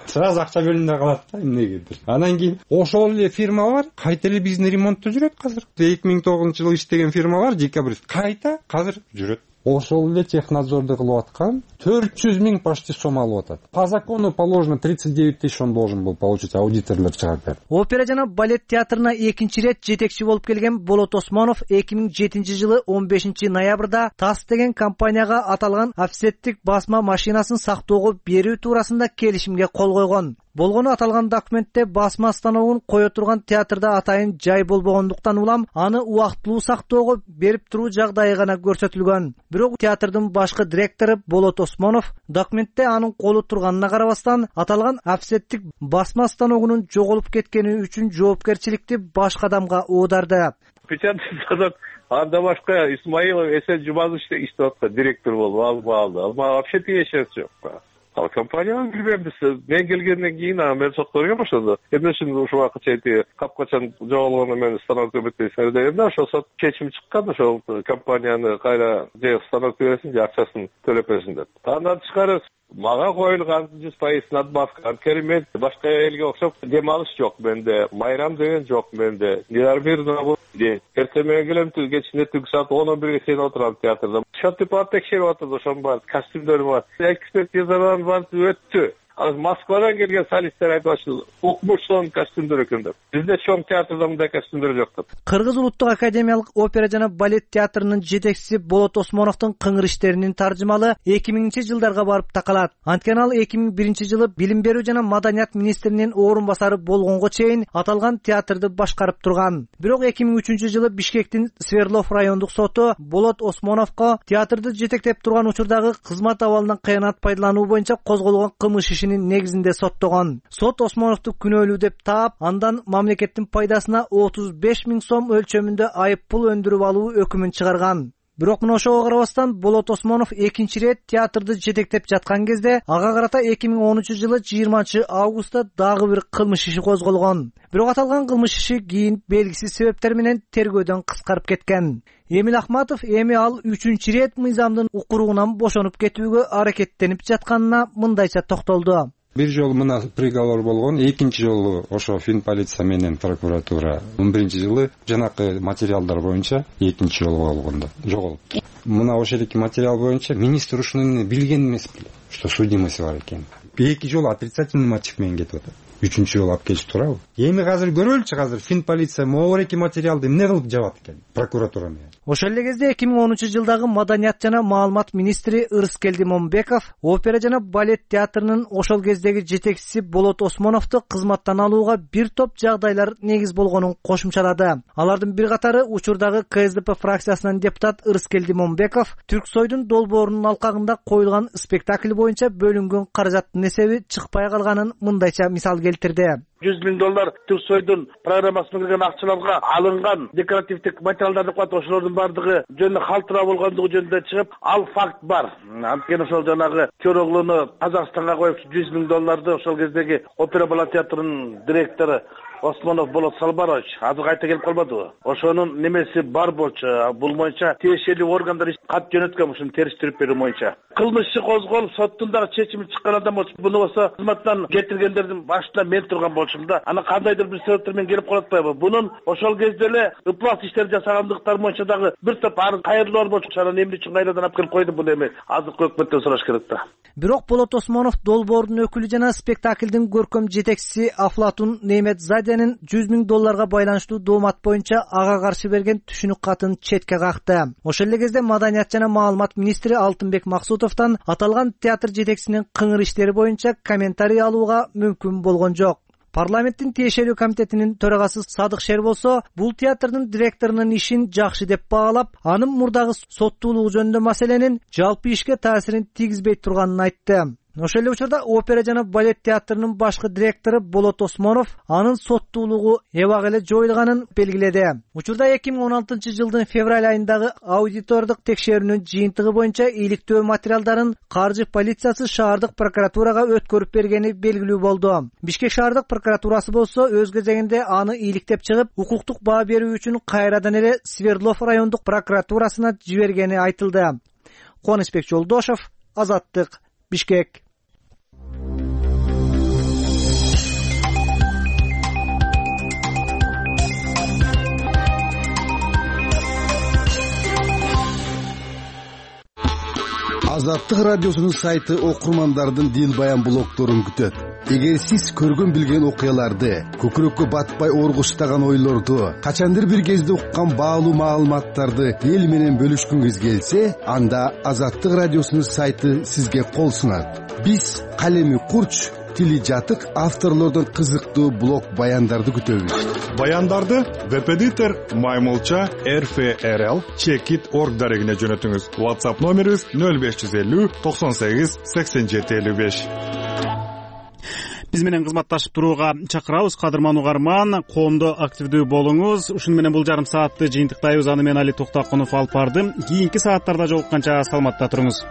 Сразу акча бөлүнө калат да эмнегедир. Анан кийин ошол эле фирмалар кайта эле биздин ремонтто жүрөт азыр. 2009-жылы иштеген фирмалар декабрист кайта азыр жүрөт. Ошол эле технадзорду кылып аткан 400 000 почти сом алып атат. По закону положено 39 тысяч он должен был получить, аудиторлор чыгарып берди.
Опера жана балет театрына экинчи ирет жетекчи болуп келген Болот Осмонов 2007 жылы 15 ноябрда ТАСС деген компанияга аталган офсеттик басма машинасын сактоого берүү туурасында келишимге кол койгон. Болгону аталган документте басма станогун кое турган театрда атайын жай болбогондуктан улам аны убактылуу сактоого берип туруу жагдайы гана көрсөтүлгөн. Бирок театрдын башкы директору Болот Осмонов документте анын колу турганына карабастан аталган офсеттик басма станогунун жоголуп кеткени үчүн жоопкерчиликти башка адамга оодарды.
Печатный станок анда башка Исмаилов Эсен Жумазович иштеп аткан директор болуп алды. Вообще тиешеси жок. Ал компанияны билбейм биз. Мен келгенден кийин мен сокторго баштады. Эмне үчүн ушул убакытча эти капкачан жоголгону мен станок өбөтпөйсүң дегенде ошол сот чечим чыккан, ошол компанияны кайра же станок бересиң же акчасын төлөп бересиң деп. Андан тышкары мага коюлган 100% надбавка. Анткени мен башка элге окшоп дем алыш жок менде, майрам деген жок менде. Нервирно ден. Эртең менен келем, кечинде түнкү саат 10-11ге чейин отурам театрда. Счётты пат текшерип атат, ошон бар, костюмдор бар. Экспертизадан бар өттү. Ал Москвадан келген солисттер айтып атышты, укмуштон костюмдор экен деп. Бизде чоң театрда мындай костюмдор жок деп.
Кыргыз улуттук академиялык опера жана балет театрынын жетекчиси Болот Осмоновдун кыңыр иштеринин таржымалы 2000-жылдарга барып такалат. Анткени ал 2001 жылы билим берүү жана маданият министринин орун басары болгонго чейин аталган театрды башкарып турган. Бирок 2003 жылы Бишкектин Свердлов райондук соту Болот Осмоновго театрды жетектеп турган учурдагы кызмат абалынан кыянат пайдалануу боюнча козголгон кылмыш негизинде соттогон. Сот Осмоновду күнөөлүү деп таап, андан мамлекеттин пайдасына 35 000 сом өлчөмүндө айып пул өндүрүп алуу өкүмүн чыгарган. Бирок мына ошого карабастан Болот Осмонов экинчи ирет театрды жетектеп жаткан кезде ага карата 2010 жылы 20 августта дагы бир кылмыш иши козголгон. Бирок аталган кылмыш иши кийин белгисиз себептер менен тергөөдөн кыскарып кеткен. Эмиль Ахматов эми ал 3-чү ирет мыйзамдын укуругунан бошонуп кетүүгө аракеттенип жатканына мындайча токтолду.
Бир жолу мына приговор болгон, экинчи жолу ошо Финполиция менен прокуратура 11 жылы жанакы материалдар боюнча экинчи жолу болгондо жоголупту. Мына ошол эки материал боюнча министр ушуну билген эмес беле, что судимость бар экен. Эки жолу отрицательный мотив менен кетип атат. Үчүнчү жолу алып келип турабы? Эми азыр көрөлүчү, азыр Финполиция могу эки материалды эмне кылып жабат экен прокуратура менен.
Ошол эле кезде 2010 жылдагы маданият жана маалымат министри Ырыскелди Момбеков опера жана балет театрынын ошол кездеги жетекчиси Болот Осмоновду кызматтан алууга бир топ жагдайлар негиз болгонун кошумчалады. Алардын бир катары учурдагы КСДП фракциясынын депутат Ырыскелди Момбеков Түрксойдун долбоорунун алкагында коюлган спектакль боюнча бөлүнгөн каражаттын эсеби чыкпай калганын мындайча мисал келтирди.
$100 000 Түрксойдун программасына кирген акчаларга алынган декоративдик материалдар деп коет, ошолордун бардыгы жөнүндө калтыраа болгондугу жөнүндө чыгып, ал факт бар. Анткени ошол жанагы Көроглууну Казакстанга коюп $100 000 ошол кездеги опера балет театрынын директору
Осмонов Болот Салбарович азыр кайта келип калбадыбы? Ошонун немеси бар болчу. Бул боюнча тиешелүү органдар кат жөнөткөн ушуну териштирип берүү боюнча. Кылмыш иши козголуп, соттун дагы чечими чыккан адам болчу. Буну болсо кызматтан кетиргендердин башында мен турган болчумун да. Аны кандайдыр бир себептер менен келип калып атпайбы? Бунун ошол кезде эле ыплас иштер жасагандыктар боюнча дагы бир топ кайрылуулар болчу. Анан эмне үчүн кайрадан алып келип койду буну эми азыркы өкмөттөн сураш керек да.
Бирок Болот Осмонов долбоордун өкүлү жана спектаклдин көркөм жетекчиси Афлатун Неметзадянын $100,000 байланыштуу доомат боюнча ага каршы берген түшүнүк катын четке какты. Ошол эле кезде Маданият жана маалымат министри Алтынбек Максутовдон аталган театр жетекчисинин кыңыр иштери боюнча комментарий алууга мүмкүн болгон жок. Парламенттин тиешелүү комитетинин төрагасы Садык Шер болсо, бул театрдын директорунун ишин жакшы деп баалап, анын мурдагы соттуулугу жөнүндө маселенин жалпы ишке таасирин тийгизбей турганын айтты. Ошол эле учурда опера жана балет театрынын башкы директору Болот Осмонов анын соттуулугу эбак эле жоюлганын белгиледи. Учурда 2016-жылдын февраль айындагы аудитордук текшерүүнүн жыйынтыгы боюнча иликтөө материалдарын каржы полициясы шаардык прокуратурага өткөрүп бергени белгилүү болду. Бишкек шаардык прокуратурасы болсо өз кезегинде аны иликтеп чыгып, укуктук баа берүү үчүн кайрадан эле Свердлов райондук прокуратурасына жибергени айтылды. Кубанычбек Жолдошов, Азаттык, Бишкек.
Азаттык радиосунун сайты окурмандардын дил баян блогдорун күтөт. Эгер сиз көргөн билген окуяларды, көкүрөккө батпай оргуштаган ойлорду, качандыр бир кезде уккан баалуу маалыматтарды эл менен бөлүшкүңүз келсе, анда Азаттык радиосунун сайты сизге кол сунат. Биз калеми курч, тили жатык авторлордон кызыктуу блог баяндарды күтөбүз.
Баяндарды веб-эдитор Маймылча RFRL Checkit.org дарегине жөнөтүңүз. WhatsApp номерибиз 0550 98 87 55.
Биз менен кызматташып турууга чакырабыз. Кадырман угарман, коомдо активдүү болуңуз. Ушуну менен бул жарым саатты жыйынтыктайбыз. Аны мен Али Токтокунов алып бардым. Кийинки сааттарда жолукканча саламатта туруңуз.